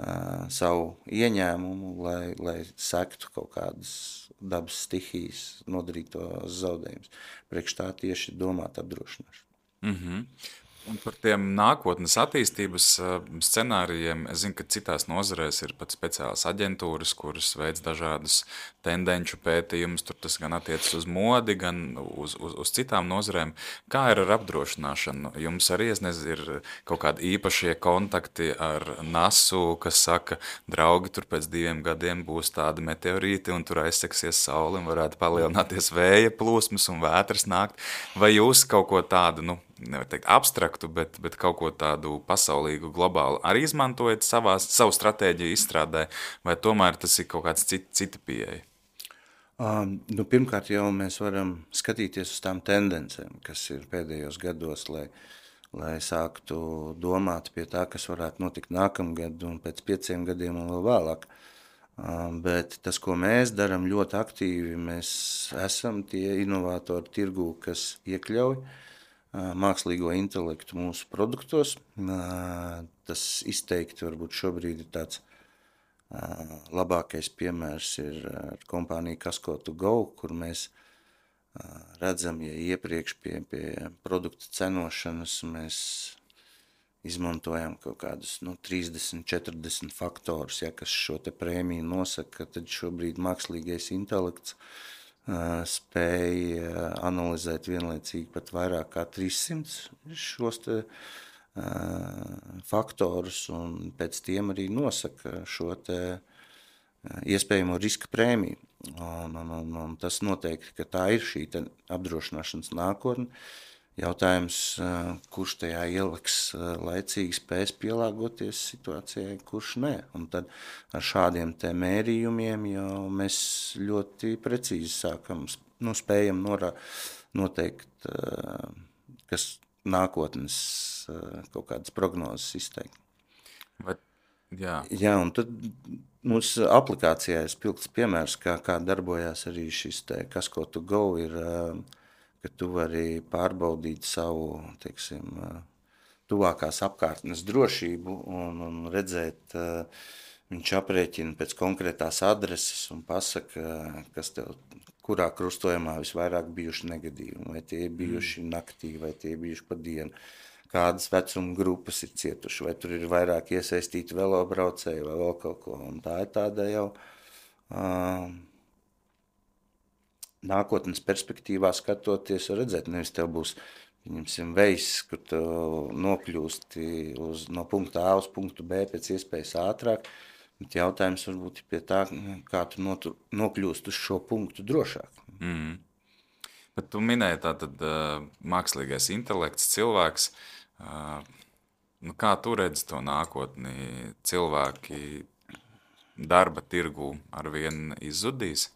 uh, savu ieņēmumu, lai, lai sektu kaut kādas dabas stihijas nodarītos zaudējumus. Priekš tā tieši domāt apdrošināšanu. Mhm. Un par tiem nākotnes attīstības scenārijiem, es zinu, ka citās nozarēs ir pat speciālas aģentūras, kuras veic dažādus tendenču pētījumus. Tur tas gan attiecas uz modi, gan uz, uz, uz citām nozarēm. Kā ir ar apdrošināšanu? Jums arī, es nezinu, ir kaut kādi īpašie kontakti ar nasu, kas saka, draugi, tur pēc diviem gadiem būs tādi meteorīti un tur aizseksies saule un varētu palielināties vēja plūsmas un vētras nākt. Vai jūs kaut ko tādu, nu, nevar teikt abstraktu, bet, bet kaut ko tādu pasaulīgu, globālu arī izmantojat savā, savu stratēģiju izstrādē, vai tomēr tas ir kaut kāds cit, cita pieeja? Um, nu, pirmkārt jau mēs varam skatīties uz tām tendencēm, kas ir pēdējos gados, lai, lai sāktu domāt pie tā, kas varētu notikt nākamgad un pēc pieciem gadiem un vēl vēlāk. Um, bet tas, ko mēs darām ļoti aktīvi, mēs esam tie inovatori tirgū, kas iekļauj mākslīgo intelektu mūsu produktos. Tas izteikti varbūt šobrīd ir tāds labākais piemērs ir ar kompāniju Casco to Go, kur mēs redzam, ja iepriekš pie, pie produktu cenošanas mēs izmantojam kaut kādus nu, trīsdesmit, četrdesmit faktorus, ja, kas šo te prēmiju nosaka, tad šobrīd mākslīgais intelekts spēja analizēt vienlaicīgi pat vairāk kā trīssimts šos te faktorus un pēc tiem arī nosaka šo te iespējamo riska prēmiju. Un, un, un, un tas noteikti, ka tā ir šī te apdrošināšanas nākotne. Jautājums, kurš tajā ieliks laicīgi spēs pielāgoties situācijai, kurš ne. Un tad ar šādiem te mērījumiem jau mēs ļoti precīzi sākam, nu, spējam norā, noteikt, kas nākotnes kaut kādas prognozes izteikt. Vai, jā. Jā, un tad mūsu aplikācijā ir spilgts piemērs, kā, kā darbojās arī šis te Casco to Go, ir ka tu vari pārbaudīt savu, teiksim, tuvākās apkārtnes drošību un, un redzēt, viņš aprēķina pēc konkrētās adreses un pasaka, kas tev, kurā krustojumā visvairāk bijuši negadījumi, vai tie ir bijuši naktī, vai tie ir bijuši pa dienu, kādas vecuma grupas ir cietuši, vai tur ir vairāk iesaistīti velobraucēji vai vēl kaut ko, un tā ir tāda jau uh, nākotnes perspektīvā skatoties un redzēt, nevis tev būs, viņamsim, vejs, kur tu nokļūsti uz, no punkta A uz punktu B pēc iespējas ātrāk, bet jautājums varbūt ir pie tā, kā tu notu, nokļūst uz šo punktu drošāk. Mm. Bet tu minēji tātad uh, mākslīgais intelekts, cilvēks, uh, nu kā tu redzi to nākotni, cilvēki darba tirgu arvien izzudīs?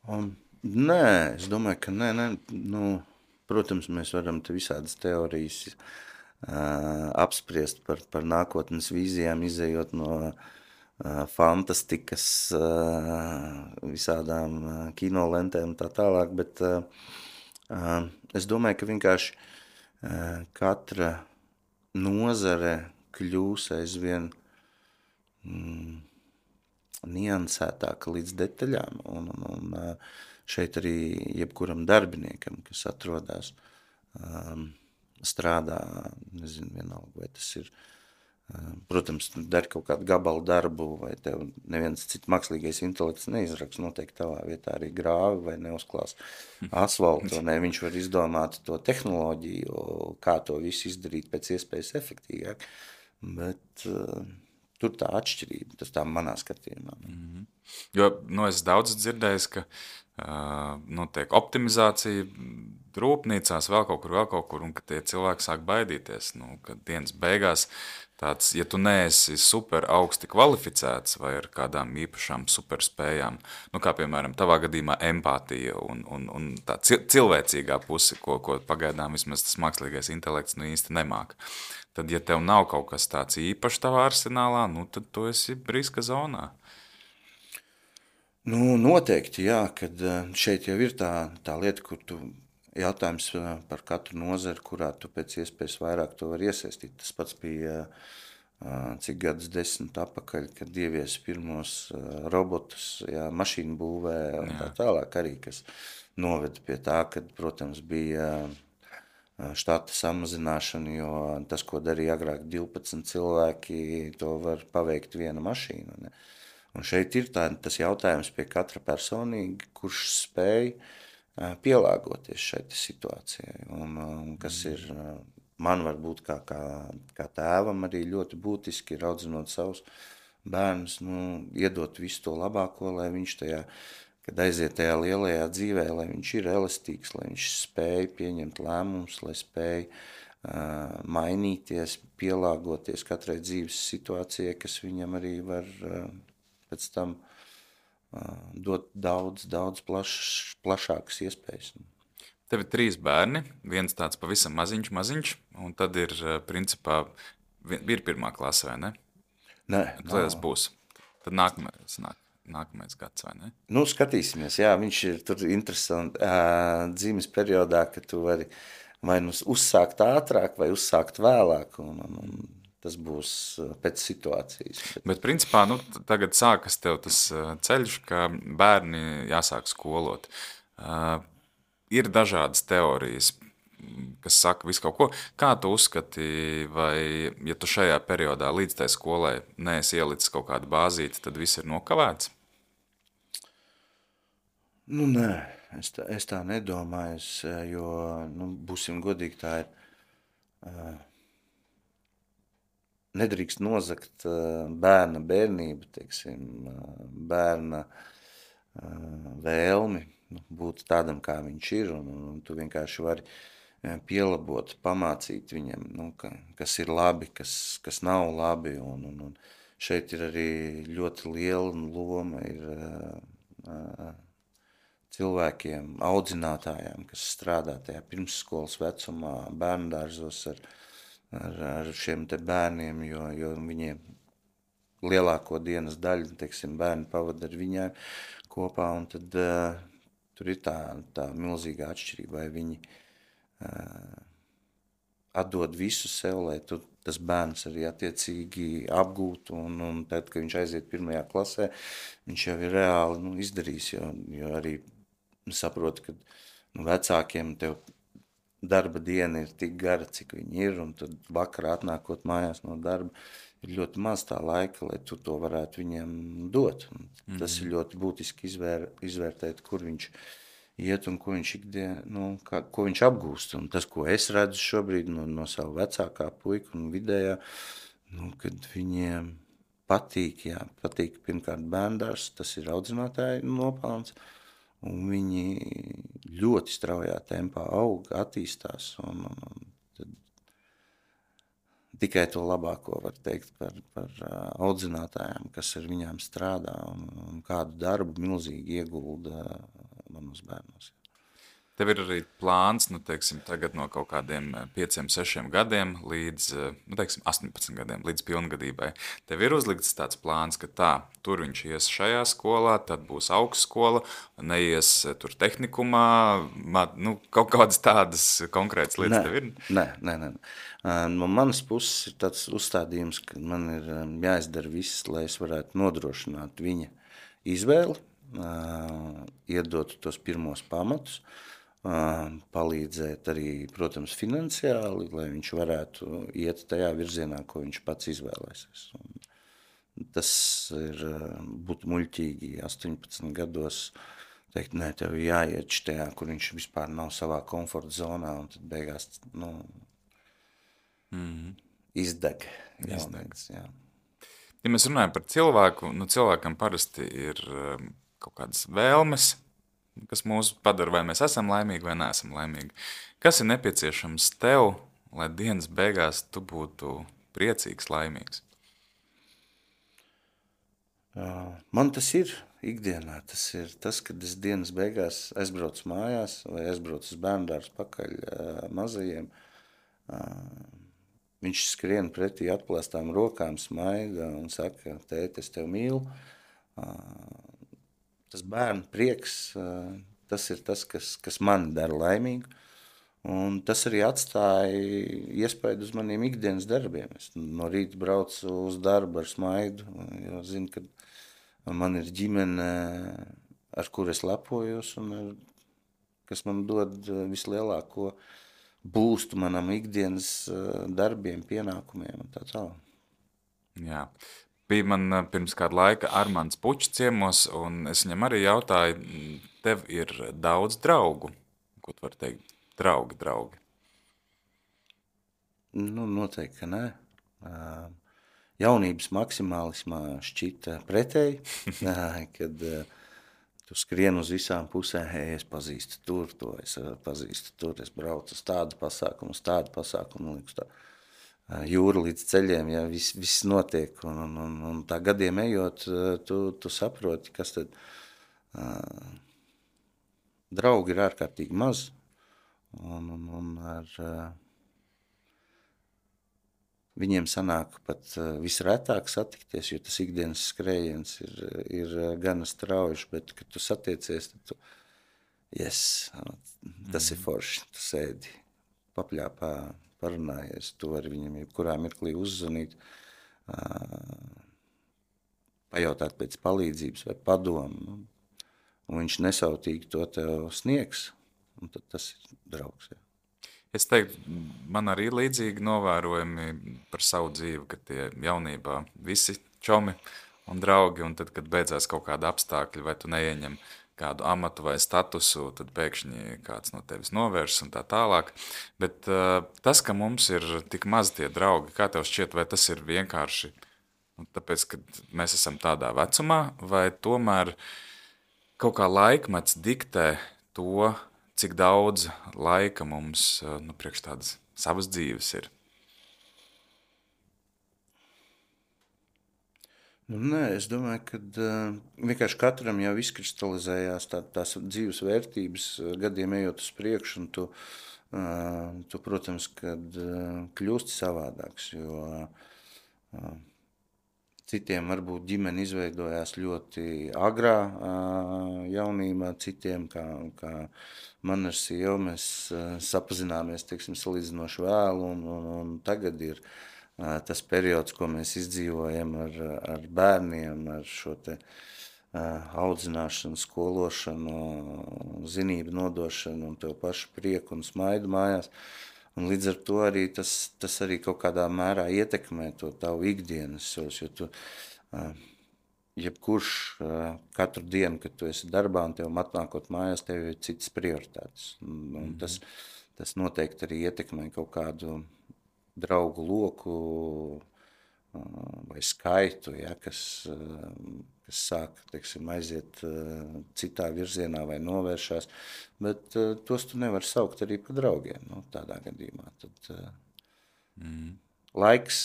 Um, nē, es domāju, ka nē, nē, nu, protams, mēs varam te visādas teorijas uh, apspriest par, par nākotnes vīzijām, izējot no uh, fantastikas, uh, visādām uh, kinolentēm un tā tālāk, bet uh, uh, es domāju, ka vienkārši uh, katra nozare kļūs aizvien mm, niansētāka līdz detaļām, un, un, un šeit arī jebkuram darbiniekam, kas atrodas, um, strādā, nezinu, vienalga, vai tas ir, um, protams, dar kaut kādu gabalu darbu, vai tev neviens cits mākslīgais intelekts neizraks, noteikti tavā vietā arī grāvi vai neuzklās asfaltu, un ne, viņš var izdomāt to tehnoloģiju, kā to visu izdarīt pēc iespējas efektīgāk, bet uh, tur tā atšķirība, tas tā manā skatījumā. Mm-hmm. Jo, nu, es daudz dzirdējis, ka uh, notiek optimizācija rūpnīcās, vēl kaut kur, vēl kaut kur, un ka tie cilvēki sāk baidīties, nu, ka dienas beigās tāds, ja tu neesi super augsti kvalificēts vai ar kādām īpašām superspējām, nu, kā piemēram tavā gadījumā empātija un, un, un tā cilvēcīgā puse, ko, ko pagaidām vismaz tas mākslīgais intelekts nu īsti nemāk. Tad, ja tev nav kaut kas tāds īpašs tavā arsenālā, nu, tad tu esi riska zonā. Nu, noteikti, jā, kad šeit jau ir tā, tā lieta, kur tu jautājums par katru nozari, kurā tu pēc iespējas vairāk to var iesaistīt. Tas pats bija cik gadus desmit atpakaļ, kad ievies pirmos robotus, jā, mašīnu būvē un tā tālāk arī, kas noveda pie tā, kad, protams, bija štata samazināšana, jo tas, ko darīja agrāk divpadsmit cilvēki, to var paveikt viena mašīna. Ne? Un šeit ir tā, tas jautājums pie katra personīgi, kurš spēj pielāgoties šai situācijai, un, un kas ir... Man varbūt kā, kā, kā tēvam arī ļoti būtiski ir audzinot savus bērnus, nu, iedot visu to labāko, lai viņš tajā, kad aiziet tajā lielajā dzīvē, lai viņš ir elastīgs, lai viņš spēj pieņemt lēmumus, lai spēj uh, mainīties, pielāgoties katrai dzīves situācijai, kas viņam arī var uh, pēc tam uh, dot daudz, daudz plaš, plašākas iespējas. Tev ir trīs bērni, viens tāds pavisam maziņš, maziņš, un tad ir, principā, ir pirmā klase, vai ne? Nē, Tad tas būs. Tad nākamais, nāk, nākamais gads, vai ne? Nu, skatīsimies, jā, viņš ir tur interesanti uh, dzīves periodā, ka tu vari vai nu uzsākt ātrāk, vai uzsākt vēlāk, un, un, un tas būs pēc situācijas. Bet, Bet principā, nu, tagad sākas tev tas ceļš, ka bērni jāsāk skolot. Uh, Ir dažādas teorijas, kas saka visu kaut ko. Kā tu uzskati, vai, ja tu šajā periodā līdz tai skolai neesi ielicis kaut kādu bāzīti, tad viss ir nokavēts? Nu, nē, es tā, es tā nedomāju, es, jo, nu, būsim godīgi, tā ir, uh, nedrīkst nozagt uh, bērna bērnību, teiksim, uh, bērna uh, vēlmi, būt tādam, kā viņš ir, un, un tu vienkārši vari pielabot, pamācīt viņam, nu, ka, kas ir labi, kas, kas nav labi, un, un, un šeit ir arī ļoti liela loma ir uh, cilvēkiem, audzinātājiem, kas strādā tajā pirmsskolas vecumā, bērndārzos ar, ar, ar šiem te bērniem, jo, jo viņiem lielāko dienas daļu, teiksim, bērni pavada ar viņiem kopā, un tad uh, tur ir tā, tā milzīga atšķirība, vai viņi uh, atdod visu sev, lai tu, tas bērns arī attiecīgi apgūtu, un, un tad, kad viņš aiziet pirmajā klasē, viņš jau ir reāli nu, izdarījis, jo, jo arī saprotu, ka nu, vecākiem tev darba diena ir tik gara, cik viņi ir, un tad vakarā atnākot mājās no darba, ir ļoti maz tā laika, lai tu to varētu viņiem dot. Un tas mm. ir ļoti būtiski izvēr, izvērtēt, kur viņš iet un ko viņš, ikdien, nu, kā, ko viņš apgūst. Un tas, ko es redzu šobrīd no, no savu vecākā puika un vidējā, nu, kad viņiem patīk, jā, patīk pirmkārt bērndārs, tas ir audzinātāji nopelns, un viņi ļoti straujā tempā aug, attīstās, un, un, un tikai to labāko var teikt par, par audzinātājiem, kas ar viņām strādā un, un kādu darbu milzīgi iegulda manos bērnos. Tev ir arī plāns, nu, teiksim, tagad no kaut kādiem pieciem, sešiem gadiem līdz, nu, teiksim, astoņpadsmit gadiem, līdz pilngadībai. Tev ir uzlikts tāds plāns, ka tā, tur viņš ies šajā skolā, tad būs augstskola, neies tur tehnikumā, nu, kaut kādas tādas konkrētas lietas nē, tev ir? Nē, nē, nē. No manas puses ir tāds uzstādījums, ka man ir jāizdara viss, lai es varētu nodrošināt viņa izvēli, iedot tos pirmos pamatus, palīdzēt arī, protams, finansiāli, lai viņš varētu iet tajā virzienā, ko viņš pats izvēlēsies. Un tas ir, būtu muļķīgi astoņpadsmit gados teikt, nē, tev jāiet štajā, kur viņš vispār nav savā komforta zonā, un tad beigās, nu, mm-hmm. izdeg. Jaunīgs, jā. Ja mēs runājam par cilvēku, nu, cilvēkam parasti ir kaut kādas vēlmes, kas mūs padara, vai mēs esam laimīgi vai neesam laimīgi. Kas ir nepieciešams tev, lai dienas beigās tu būtu priecīgs, laimīgs? Man tas ir ikdienā. Tas ir tas, kad es dienas beigās aizbraucu mājās vai aizbraucu uz bērndārzu pakaļ mazajiem. Viņš skrien pretī atplēstām rokām, smaida un saka, tēti, es tev mīlu. Tas bērnu prieks, tas ir tas, kas, kas mani dara laimīgu. Un tas arī atstāja iespēju uz maniem ikdienas darbiem. Es no rīta braucu uz darbu ar smaidu, jo zinu, ka man ir ģimene, ar kur es lepojos un ar, kas man dod vislielāko būstu manam ikdienas darbiem, pienākumiem un tā tālāk. Jā. Bija man pirms kāda laika Armands Pučs ciemos, un es viņam arī jautāju, tev ir daudz draugu, ko tu vari teikt? Draugi, draugi. Nu, noteikti, ka nē. Jaunības maksimālismā šķita pretēji, kad tu skrien uz visām pusēm, hei, es pazīstu tur, to es pazīstu tur, es braucu uz tādu pasākumu, uz tādu pasākumu, liekas tā jūra līdz ceļiem, ja viss, viss notiek, un, un, un tā gadiem ejot, tu, tu saproti, kas tad draugi ir ārkārtīgi maz, un, un, un ar viņiem sanāk pat visretāk satikties, jo tas ikdienas skrējiens ir, ir gana strauji, bet, kad tu satiecies, tad tu, yes, tas ir forši, tu sēdi, papļāpā, parunājies, tu vari viņam jebkurā mirklī uzzvanīt, pajautāt pēc palīdzības vai padomu, un viņš nesautīgi to tev sniegs, un tad tas ir draugs. Jā. Es teiktu, man arī līdzīgi novērojami par savu dzīvi, ka tie jaunībā visi čomi un draugi, un tad, kad beidzās kaut kāda apstākļa, vai tu neieņem kādu amatu vai statusu, tad pēkšņi kāds no tevis novērš un tā tālāk. Bet uh, tas, ka mums ir tik maz tie draugi, kā tev šķiet, vai tas ir vienkārši, nu, tāpēc, ka mēs esam tādā vecumā, vai tomēr kaut kā laikmets diktē to, cik daudz laika mums, nu, priekš tādas savas dzīves ir? Nu, nē, es domāju, ka uh, vienkārši katram jau izkristalizējās tā, tās dzīves vērtības gadiem ejot uz priekšu, un tu, uh, tu protams, kad uh, kļūsti savādāks, jo uh, citiem varbūt ģimene izveidojās ļoti agrā uh, jaunībā, citiem, kā, kā man ar sievu, mēs uh, sapazināmies, teiksim, salīdzinoši vēlu, un, un, un tagad ir tas periods, ko mēs izdzīvojam ar, ar bērniem, ar šo te audzināšanu, skološanu, zinību nodošanu un tev pašu prieku un smaidu mājās. Un līdz ar to arī tas, tas arī kaut kādā mērā ietekmē to tavu ikdienas, jo tu, jebkurš katru dienu, kad tu esi darbā un tev atnākot mājās, tev ir citas prioritātes. Un, un mm-hmm. tas, tas noteikti arī ietekmē kaut kādu draugu loku vai skaitu, ja, kas, kas sāk, teiksim, aiziet citā virzienā vai novēršās, bet tos tu nevar saukt arī par draugiem, nu, tādā gadījumā. Tad mm. laiks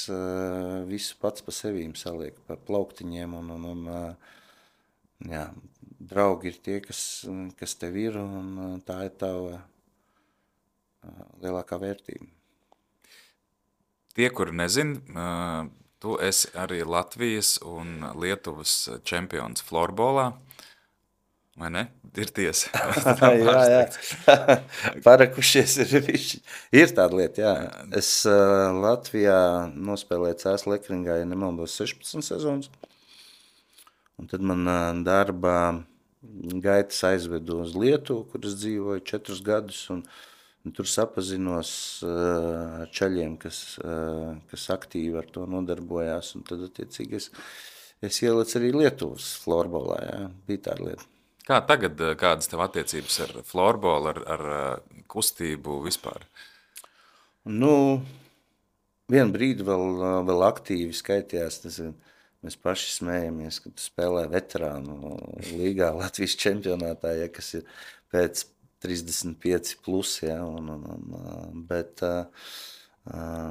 visu pats pa sevīm saliek pa plauktiņiem, un, un, un jā, draugi ir tie, kas, kas tev ir, un tā ir tava lielākā vērtība. Tie, kuri nezin, tu esi arī Latvijas un Lietuvas čempions florbolā, vai ne? Ir tiesa. jā, jā. Parakušies ir viši. Ir tāda lieta, jā. Es uh, Latvijā nospēlēju C S Lekringā, ja nemaldos, sešpadsmit sezonas. Un tad man uh, darba gaitas aizvedu uz Lietuvu, kur es dzīvoju četrus gadus, un Un tur sapazinos uh, ar čaļiem, kas, uh, kas aktīvi ar to nodarbojās, un tad, attiecīgi, es, es ielicu arī Lietuvas florbolā, jā, bija tāda lieta. Kā tagad, kādas tev attiecības ar florbolu, ar, ar kustību vispār? Nu, vienu brīdi vēl, vēl aktīvi skaitījās, tas, mēs paši smējamies, kad tu spēlē veterānu līgā Latvijas čempionātā, ja, kas ir pēc trīsdesmit pieci plus, ja, un, un, un, bet uh, uh,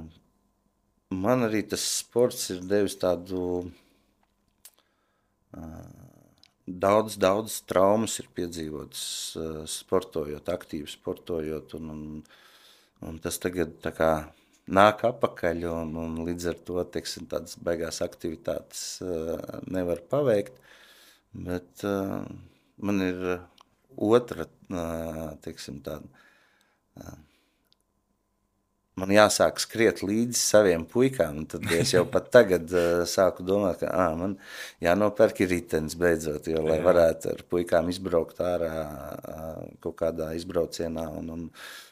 man arī tas sports ir devis tādu uh, daudz, daudz traumas ir piedzīvotas uh, sportojot, aktīvi sportojot, un, un, un tas tagad tā kā nāk apakaļ, un, un līdz ar to, teiksim, tādas baigās aktivitātes uh, nevar paveikt, bet uh, man ir otra, teiksim, tāda man jāsāk skriet līdzi saviem puikām, un tad es jau pat tagad uh, sāku domāt, ka ā, man jānopērk ir ritenis beidzot, jo lai varētu ar puikām izbraukt ārā uh, kaut kādā izbraucienā, un, un,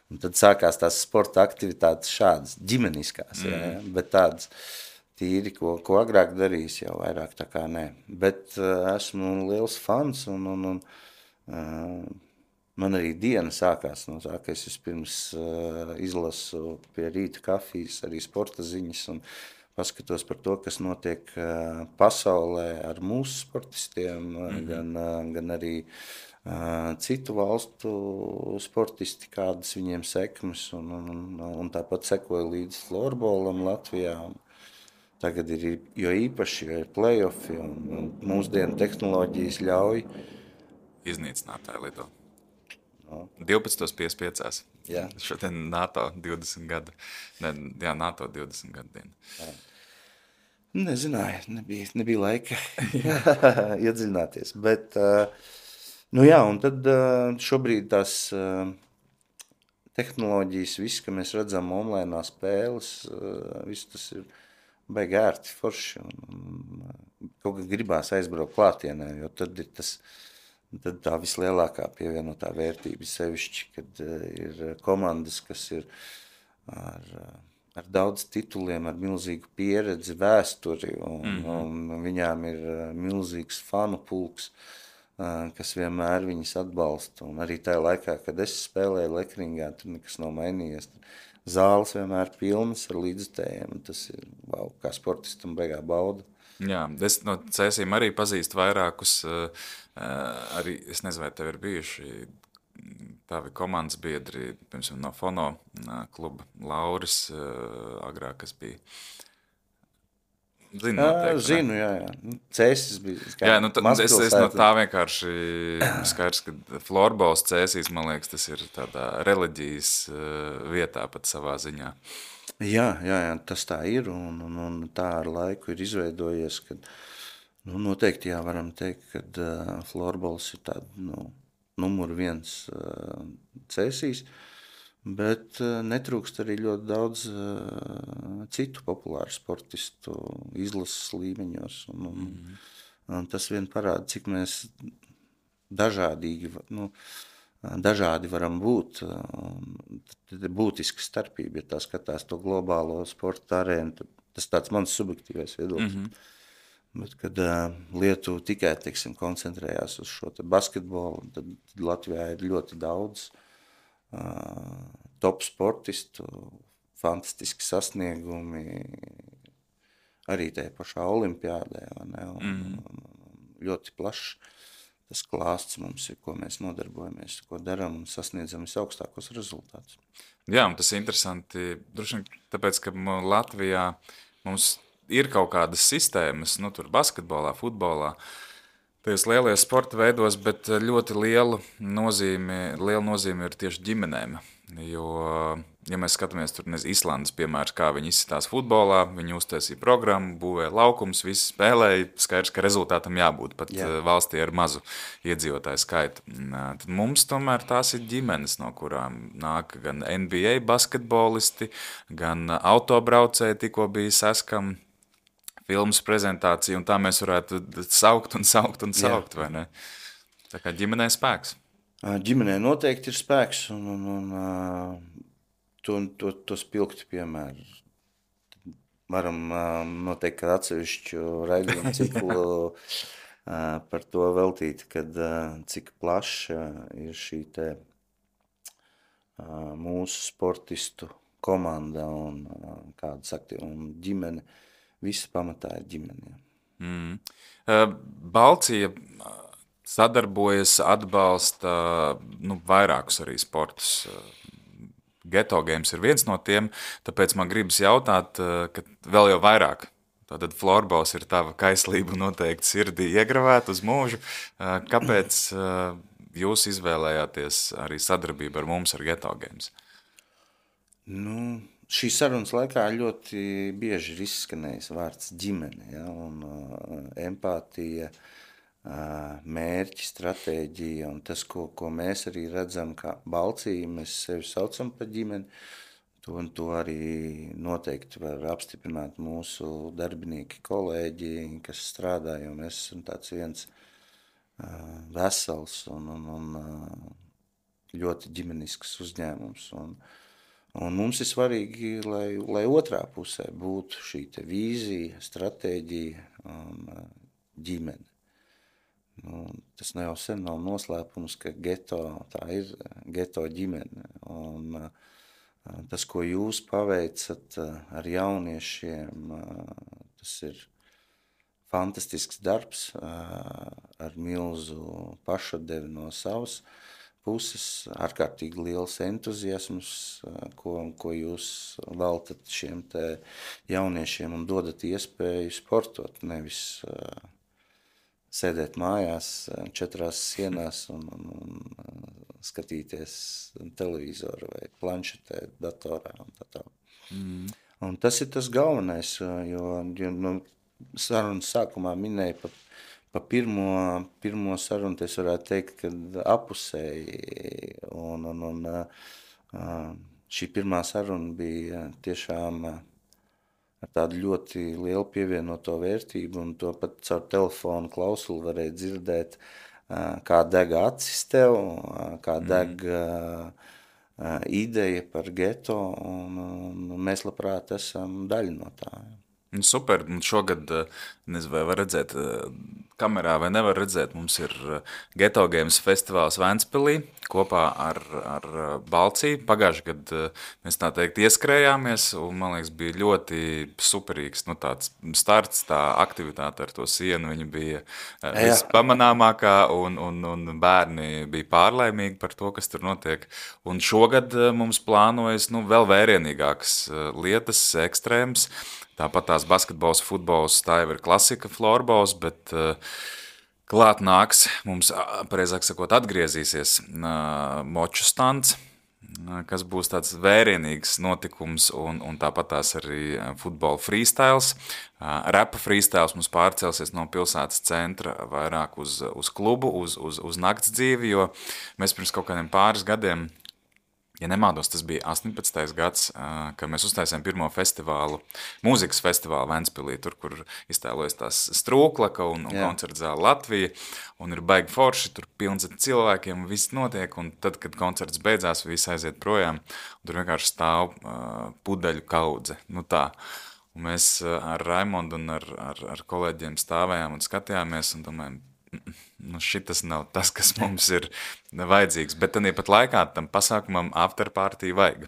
un tad sākās tās sporta aktivitātes šādas, ģimeniskās, mm. jā, bet tādas tīri, ko, ko agrāk darījis, jau vairāk tā kā nē. Bet uh, esmu liels fans, un, un, un uh, man arī diena sākās no tā, ka es vispirms uh, izlasu pie rīta kafijas, arī sporta ziņas, un paskatos par to, kas notiek uh, pasaulē ar mūsu sportistiem, mm-hmm. gan, uh, gan arī uh, citu valstu sportisti, kādas viņiem sekmes, un, un, un, un tāpat sekoju līdz florbolam Latvijā. Tagad ir, jo īpaši, jo ir play-offi, un, un mūsdienu tehnoloģijas ļauj. Iznīcinātāji lido. No. divpadsmit piecdesmit pieci. Jā. Šodien NATO divdesmit gadu. Ne, jā, NATO divdesmit gadu diena. Jā. Nezināju, nebija, nebija laika iedziļināties. Bet, nu jā, un tad šobrīd tās tehnoloģijas, viss, ka mēs redzam online spēles, viss tas ir baigi ērti, forši, un kaut kā gribās aizbraukt klātienē, jo tad ir tas, tad tā vislielākā pievienotā vērtība sevišķi, kad ir komandas, kas ir ar, ar daudz tituliem, ar milzīgu pieredzi, vēsturi, un, mm-hmm. un viņām ir milzīgs fanu pulks, kas vienmēr viņas atbalsta, un arī tajā laikā, kad es spēlēju Lekringā, tur nekas nav mainījies, zāles vienmēr pilnas ar līdzutējiem, un tas ir, wow, kā sportistam beigā bauda. Jā, es no Cēsīm arī pazīstu vairākus, uh, arī, es nezinu, vai tev ir bijuši tavi komandas biedri, piemēram, no Fono uh, kluba Lauris, uh, agrāk, kas bija. Zinu, noteikti, jā, zinu, jā, jā. Cēsis bija. Jā, nu, tā, es, es no tā vienkārši skaidrs, ka florbols Cēsīs, man liekas, tas ir tādā reliģijas uh, vietā pat savā ziņā. Jā, jā, jā, tas tā ir, un, un, un tā ar laiku ir izveidojies, kad, nu, noteikti jā, varam teikt, kad uh, florbols ir tāda, nu, numur viens uh, Cēsīs, bet uh, netrūkst arī ļoti daudz uh, citu populāru sportistu izlases līmeņos, un, un, mm-hmm. un tas vien parāda, cik mēs dažādīgi, nu, dažādi varam būt. Tad ir būtiska starpība, ja tā skatās to globālo sporta arēnu, tas tāds mans subjektīvais viedoklis. Mm-hmm. Bet, kad uh, Lietuva tikai, teiksim, koncentrējās uz šo basketbolu, tad, tad Latvijā ir ļoti daudz uh, top sportistu, fantastiski sasniegumi, arī tajā pašā olimpiādē, ne, un, mm-hmm. un ļoti plašs. Tas klāsts mums ir, ko mēs nodarbojamies, ko darām un sasniedzam visaugstākos rezultātus. Jā, un tas ir interesanti, droši vien tāpēc, ka Latvijā mums ir kaut kādas sistēmas, nu tur basketbolā, futbolā, tajos lielajos sporta veidos, bet ļoti liela nozīme, liela nozīme ir tieši ģimenēm, jo, ja mēs skatāmies tur, nezinu, Islandes piemērs, kā viņi izsitās futbolā, viņi uztaisīja programmu, būvēja laukums, visi spēlēja, skaidrs, ka rezultātam jābūt pat Jā. valstī ar mazu iedzīvotāju skaitu. Tad mums tomēr tās ir ģimenes, no kurām nāk gan N B A basketbolisti, gan autobraucēji, tikko bija Saskam filmas prezentācija, un tā mēs varētu saukt un saukt un saukt, Jā. vai ne? Tā kā ģimenē spēks. Ģimenē noteikti ir spēks, un, un, un to, to, to spilgti piemēru. Varam noteikti kādu atsevišķu raidījumu ciklu par to veltīt, kad cik plaša ir šī te mūsu sportistu komanda un kādas aktīvi, un ģimene. Visa pamatā ir ģimene. Mm. Balcija sadarbojas, atbalsta nu, vairākus arī sportus. Geto Games ir viens no tiem, tāpēc man gribas jautāt, ka vēl jau vairāk. Tātad florbols ir tava kaislība noteikti sirdī iegravēt uz mūžu. Kāpēc jūs izvēlējāties arī sadarbību ar mums ar Geto Games? Nu, šīs sarunas laikā ļoti bieži ir izskanējis vārds ģimene, ja, un uh, empātija, uh, mērķi, stratēģija, un tas, ko, ko mēs arī redzam kā Balcija, mēs sevi saucam par ģimeni, To un to arī noteikti var apstiprināt mūsu darbinieki, kolēģi, kas strādā, jo mēs esam tāds viens uh, vesels un, un, un uh, ļoti ģimenisks uzņēmums. Un, un mums ir svarīgi, lai, lai otrā pusē būtu šī te vīzija, stratēģija un uh, ģimene. Nu, tas ne jau sen nav noslēpums, ka geto, tā ir geto ģimene. Un, uh, Tas, ko jūs paveicat ar jauniešiem, tas ir fantastisks darbs ar milzu pašadevi no savas puses, ārkārtīgi liels entuziasms, ko, ko jūs veltat šiem te jauniešiem un dodat iespēju sportot, nevis sēdēt mājās četrās sienās un, un, un skatīties televizoru vai planšetē, datorā un tā tā. Mm. Un tas ir tas galvenais, jo, jo nu, sarunas sākumā minēja pa, pa pirmo, pirmo sarunu, es varētu teikt, kad apusēji, un, un, un šī pirmā saruna bija tiešām ar tādu ļoti lielu pievienoto vērtību, un to pat caur telefonu klausuli varēja dzirdēt, kā deg acis tev, kā deg mm. ideja par geto, un, un mēs labprāt esam daļa no tā. Super, un šogad, nezinu, vai var redzēt kamerā vai nevar redzēt, mums ir Geto Games festivāls Ventspilī kopā ar, ar Balciju. Pagājuši gad mēs tā teikt ieskrējāmies, un man liekas bija ļoti superīgs, nu tāds starts, tā aktivitāte ar to sienu, viņa bija vispamanāmākā, un, un, un bērni bija pārlaimīgi par to, kas tur notiek. Un šogad mums plānojas, nu, vēl vērienīgākas lietas, ekstrēmas. Tāpat tās basketbols, futbols, tā jau ir klasika, florbols, bet uh, klāt nāks, mums, pareizāk sakot, atgriezīsies uh, moču stands, uh, kas būs tāds vērienīgs notikums, un, un tāpat tās arī futbola freestyles. Uh, repa freestyles mums pārcelsies no pilsētas centra vairāk uz, uz klubu, uz, uz, uz nakts dzīvi, jo mēs pirms kaut kādiem pāris gadiem, ja nemaldos, tas bija astoņpadsmitais gads, kad mēs uztaisījām pirmo festivālu, mūzikas festivālu Ventspilī, tur, kur iztēlojas tās Strūklaka un, un koncerta zāle Latvija, un ir baigi forši, tur pilns ar cilvēkiem, viss notiek, un tad, kad koncerts beidzās, viss aiziet projām, un tur vienkārši stāv uh, pudeļu kaudze, nu tā. Un mēs ar Raimondu un ar, ar, ar kolēģiem stāvējām un skatījāmies un domājam, nu šitas nav tas, kas mums ir vajadzīgs, bet tad pat laikā tam pasākumam afterparty vajag.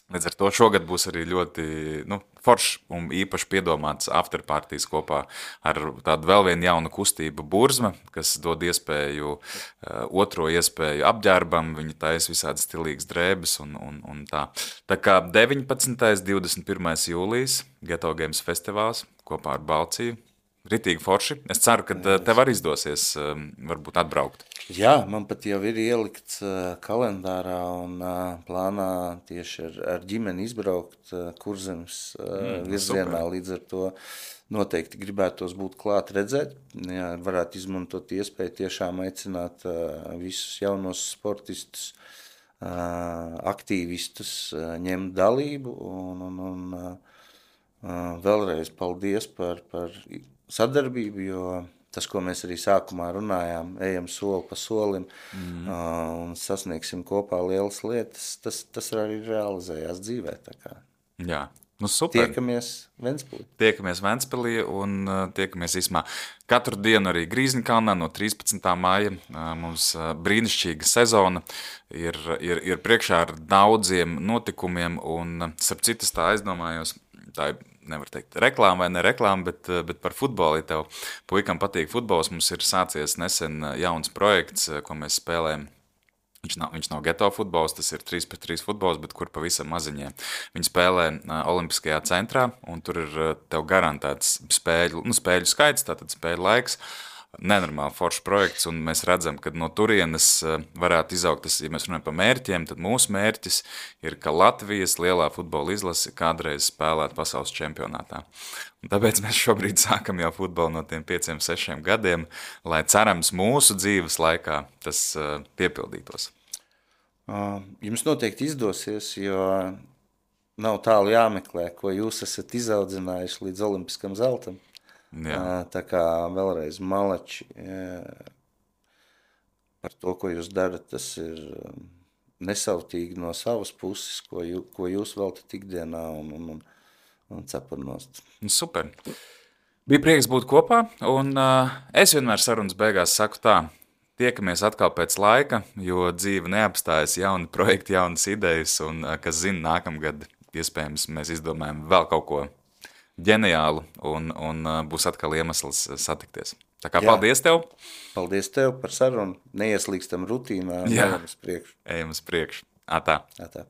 Līdz ar to šogad būs arī ļoti nu, foršs un īpaši piedomāts afterpartijas kopā ar tādu vēl vienu jaunu kustību Burzma, kas dod iespēju, otro iespēju apģērbam, viņi taisa visādi stilīgas drēbes un, un, un tā. Tā kā deviņpadsmitais divdesmit pirmais jūlijas Geto Games festivāls kopā ar Balciju. Ritīgi forši. Es ceru, ka tev arī izdosies varbūt atbraukt. Jā, man pat jau ir ielikts kalendārā un plānā tieši ar, ar ģimeni izbraukt Kurzemes mm, virzienā. Super. Līdz ar to noteikti gribētos būt klāt redzēt. Jā, varētu izmantot iespēju tiešām aicināt visus jaunos sportistus, aktīvistus ņemt dalību. Un, un, un vēlreiz paldies par, par sadarbību, jo tas, ko mēs arī sākumā runājām, ejam soli pa solim mm. uh, un sasniegsim kopā lielas lietas, tas, tas arī realizējās dzīvē. Tā kā. Jā, nu super. Tiekamies Ventspilī. Tiekamies Ventspilī un uh, tiekamies īsmā. Katru dienu arī Grīzņkalnā no trīspadsmitā māja uh, mums uh, brīnišķīga sezona ir, ir, ir priekšā ar daudziem notikumiem un, uh, starp citas tā aizdomājos, tā ir nevar teikt reklāma vai ne reklāma, bet, bet par futbolu, ja tev puikam patīk futbols, mums ir sācies nesen jauns projekts, ko mēs spēlējam. Viņš nav, viņš nav geto futbols, tas ir trīs pret trīs futbols, bet kur pavisam maziņie. Viņi spēlē Olimpiskajā centrā, un tur ir tev garantēts spēļu, nu, spēļu skaits, tātad spēļu laiks. Nenormāli foršs projekts, un mēs redzam, ka no turienes varētu izaugt, tas, ja mēs runājam par mērķiem, tad mūsu mērķis ir, ka Latvijas lielā futbola izlase kādreiz spēlētu pasaules čempionātā. Un tāpēc mēs šobrīd sākam jau futbolu no tiem pieciem, sešiem gadiem, lai cerams mūsu dzīves laikā tas uh, piepildītos. Uh, jums noteikti izdosies, jo nav tālu jāmeklē, ko jūs esat izaudzinājuši līdz olimpiskam zeltam. Jā. Tā kā vēlreiz malači par to, ko jūs darat, tas ir nesautīgi no savas puses, ko, jū, ko jūs veltat ikdienā un, un, un, un cepurnost. Super. Bija prieks būt kopā, un uh, es vienmēr sarunas beigās saku tā, tiekamies atkal pēc laika, jo dzīve neapstājas, jauni projekti, jaunas idejas, un, uh, kas zina, nākamgad iespējams mēs izdomājam vēl kaut ko ģeniālu, un, un uh, būs atkal iemesls satikties. Tā kā Jā. Paldies tev! Paldies tev par sarunu, neieslīgstam rutīnā, Jā. ejam uz priekšu. Ejam uz priekšu. Atā. Atā.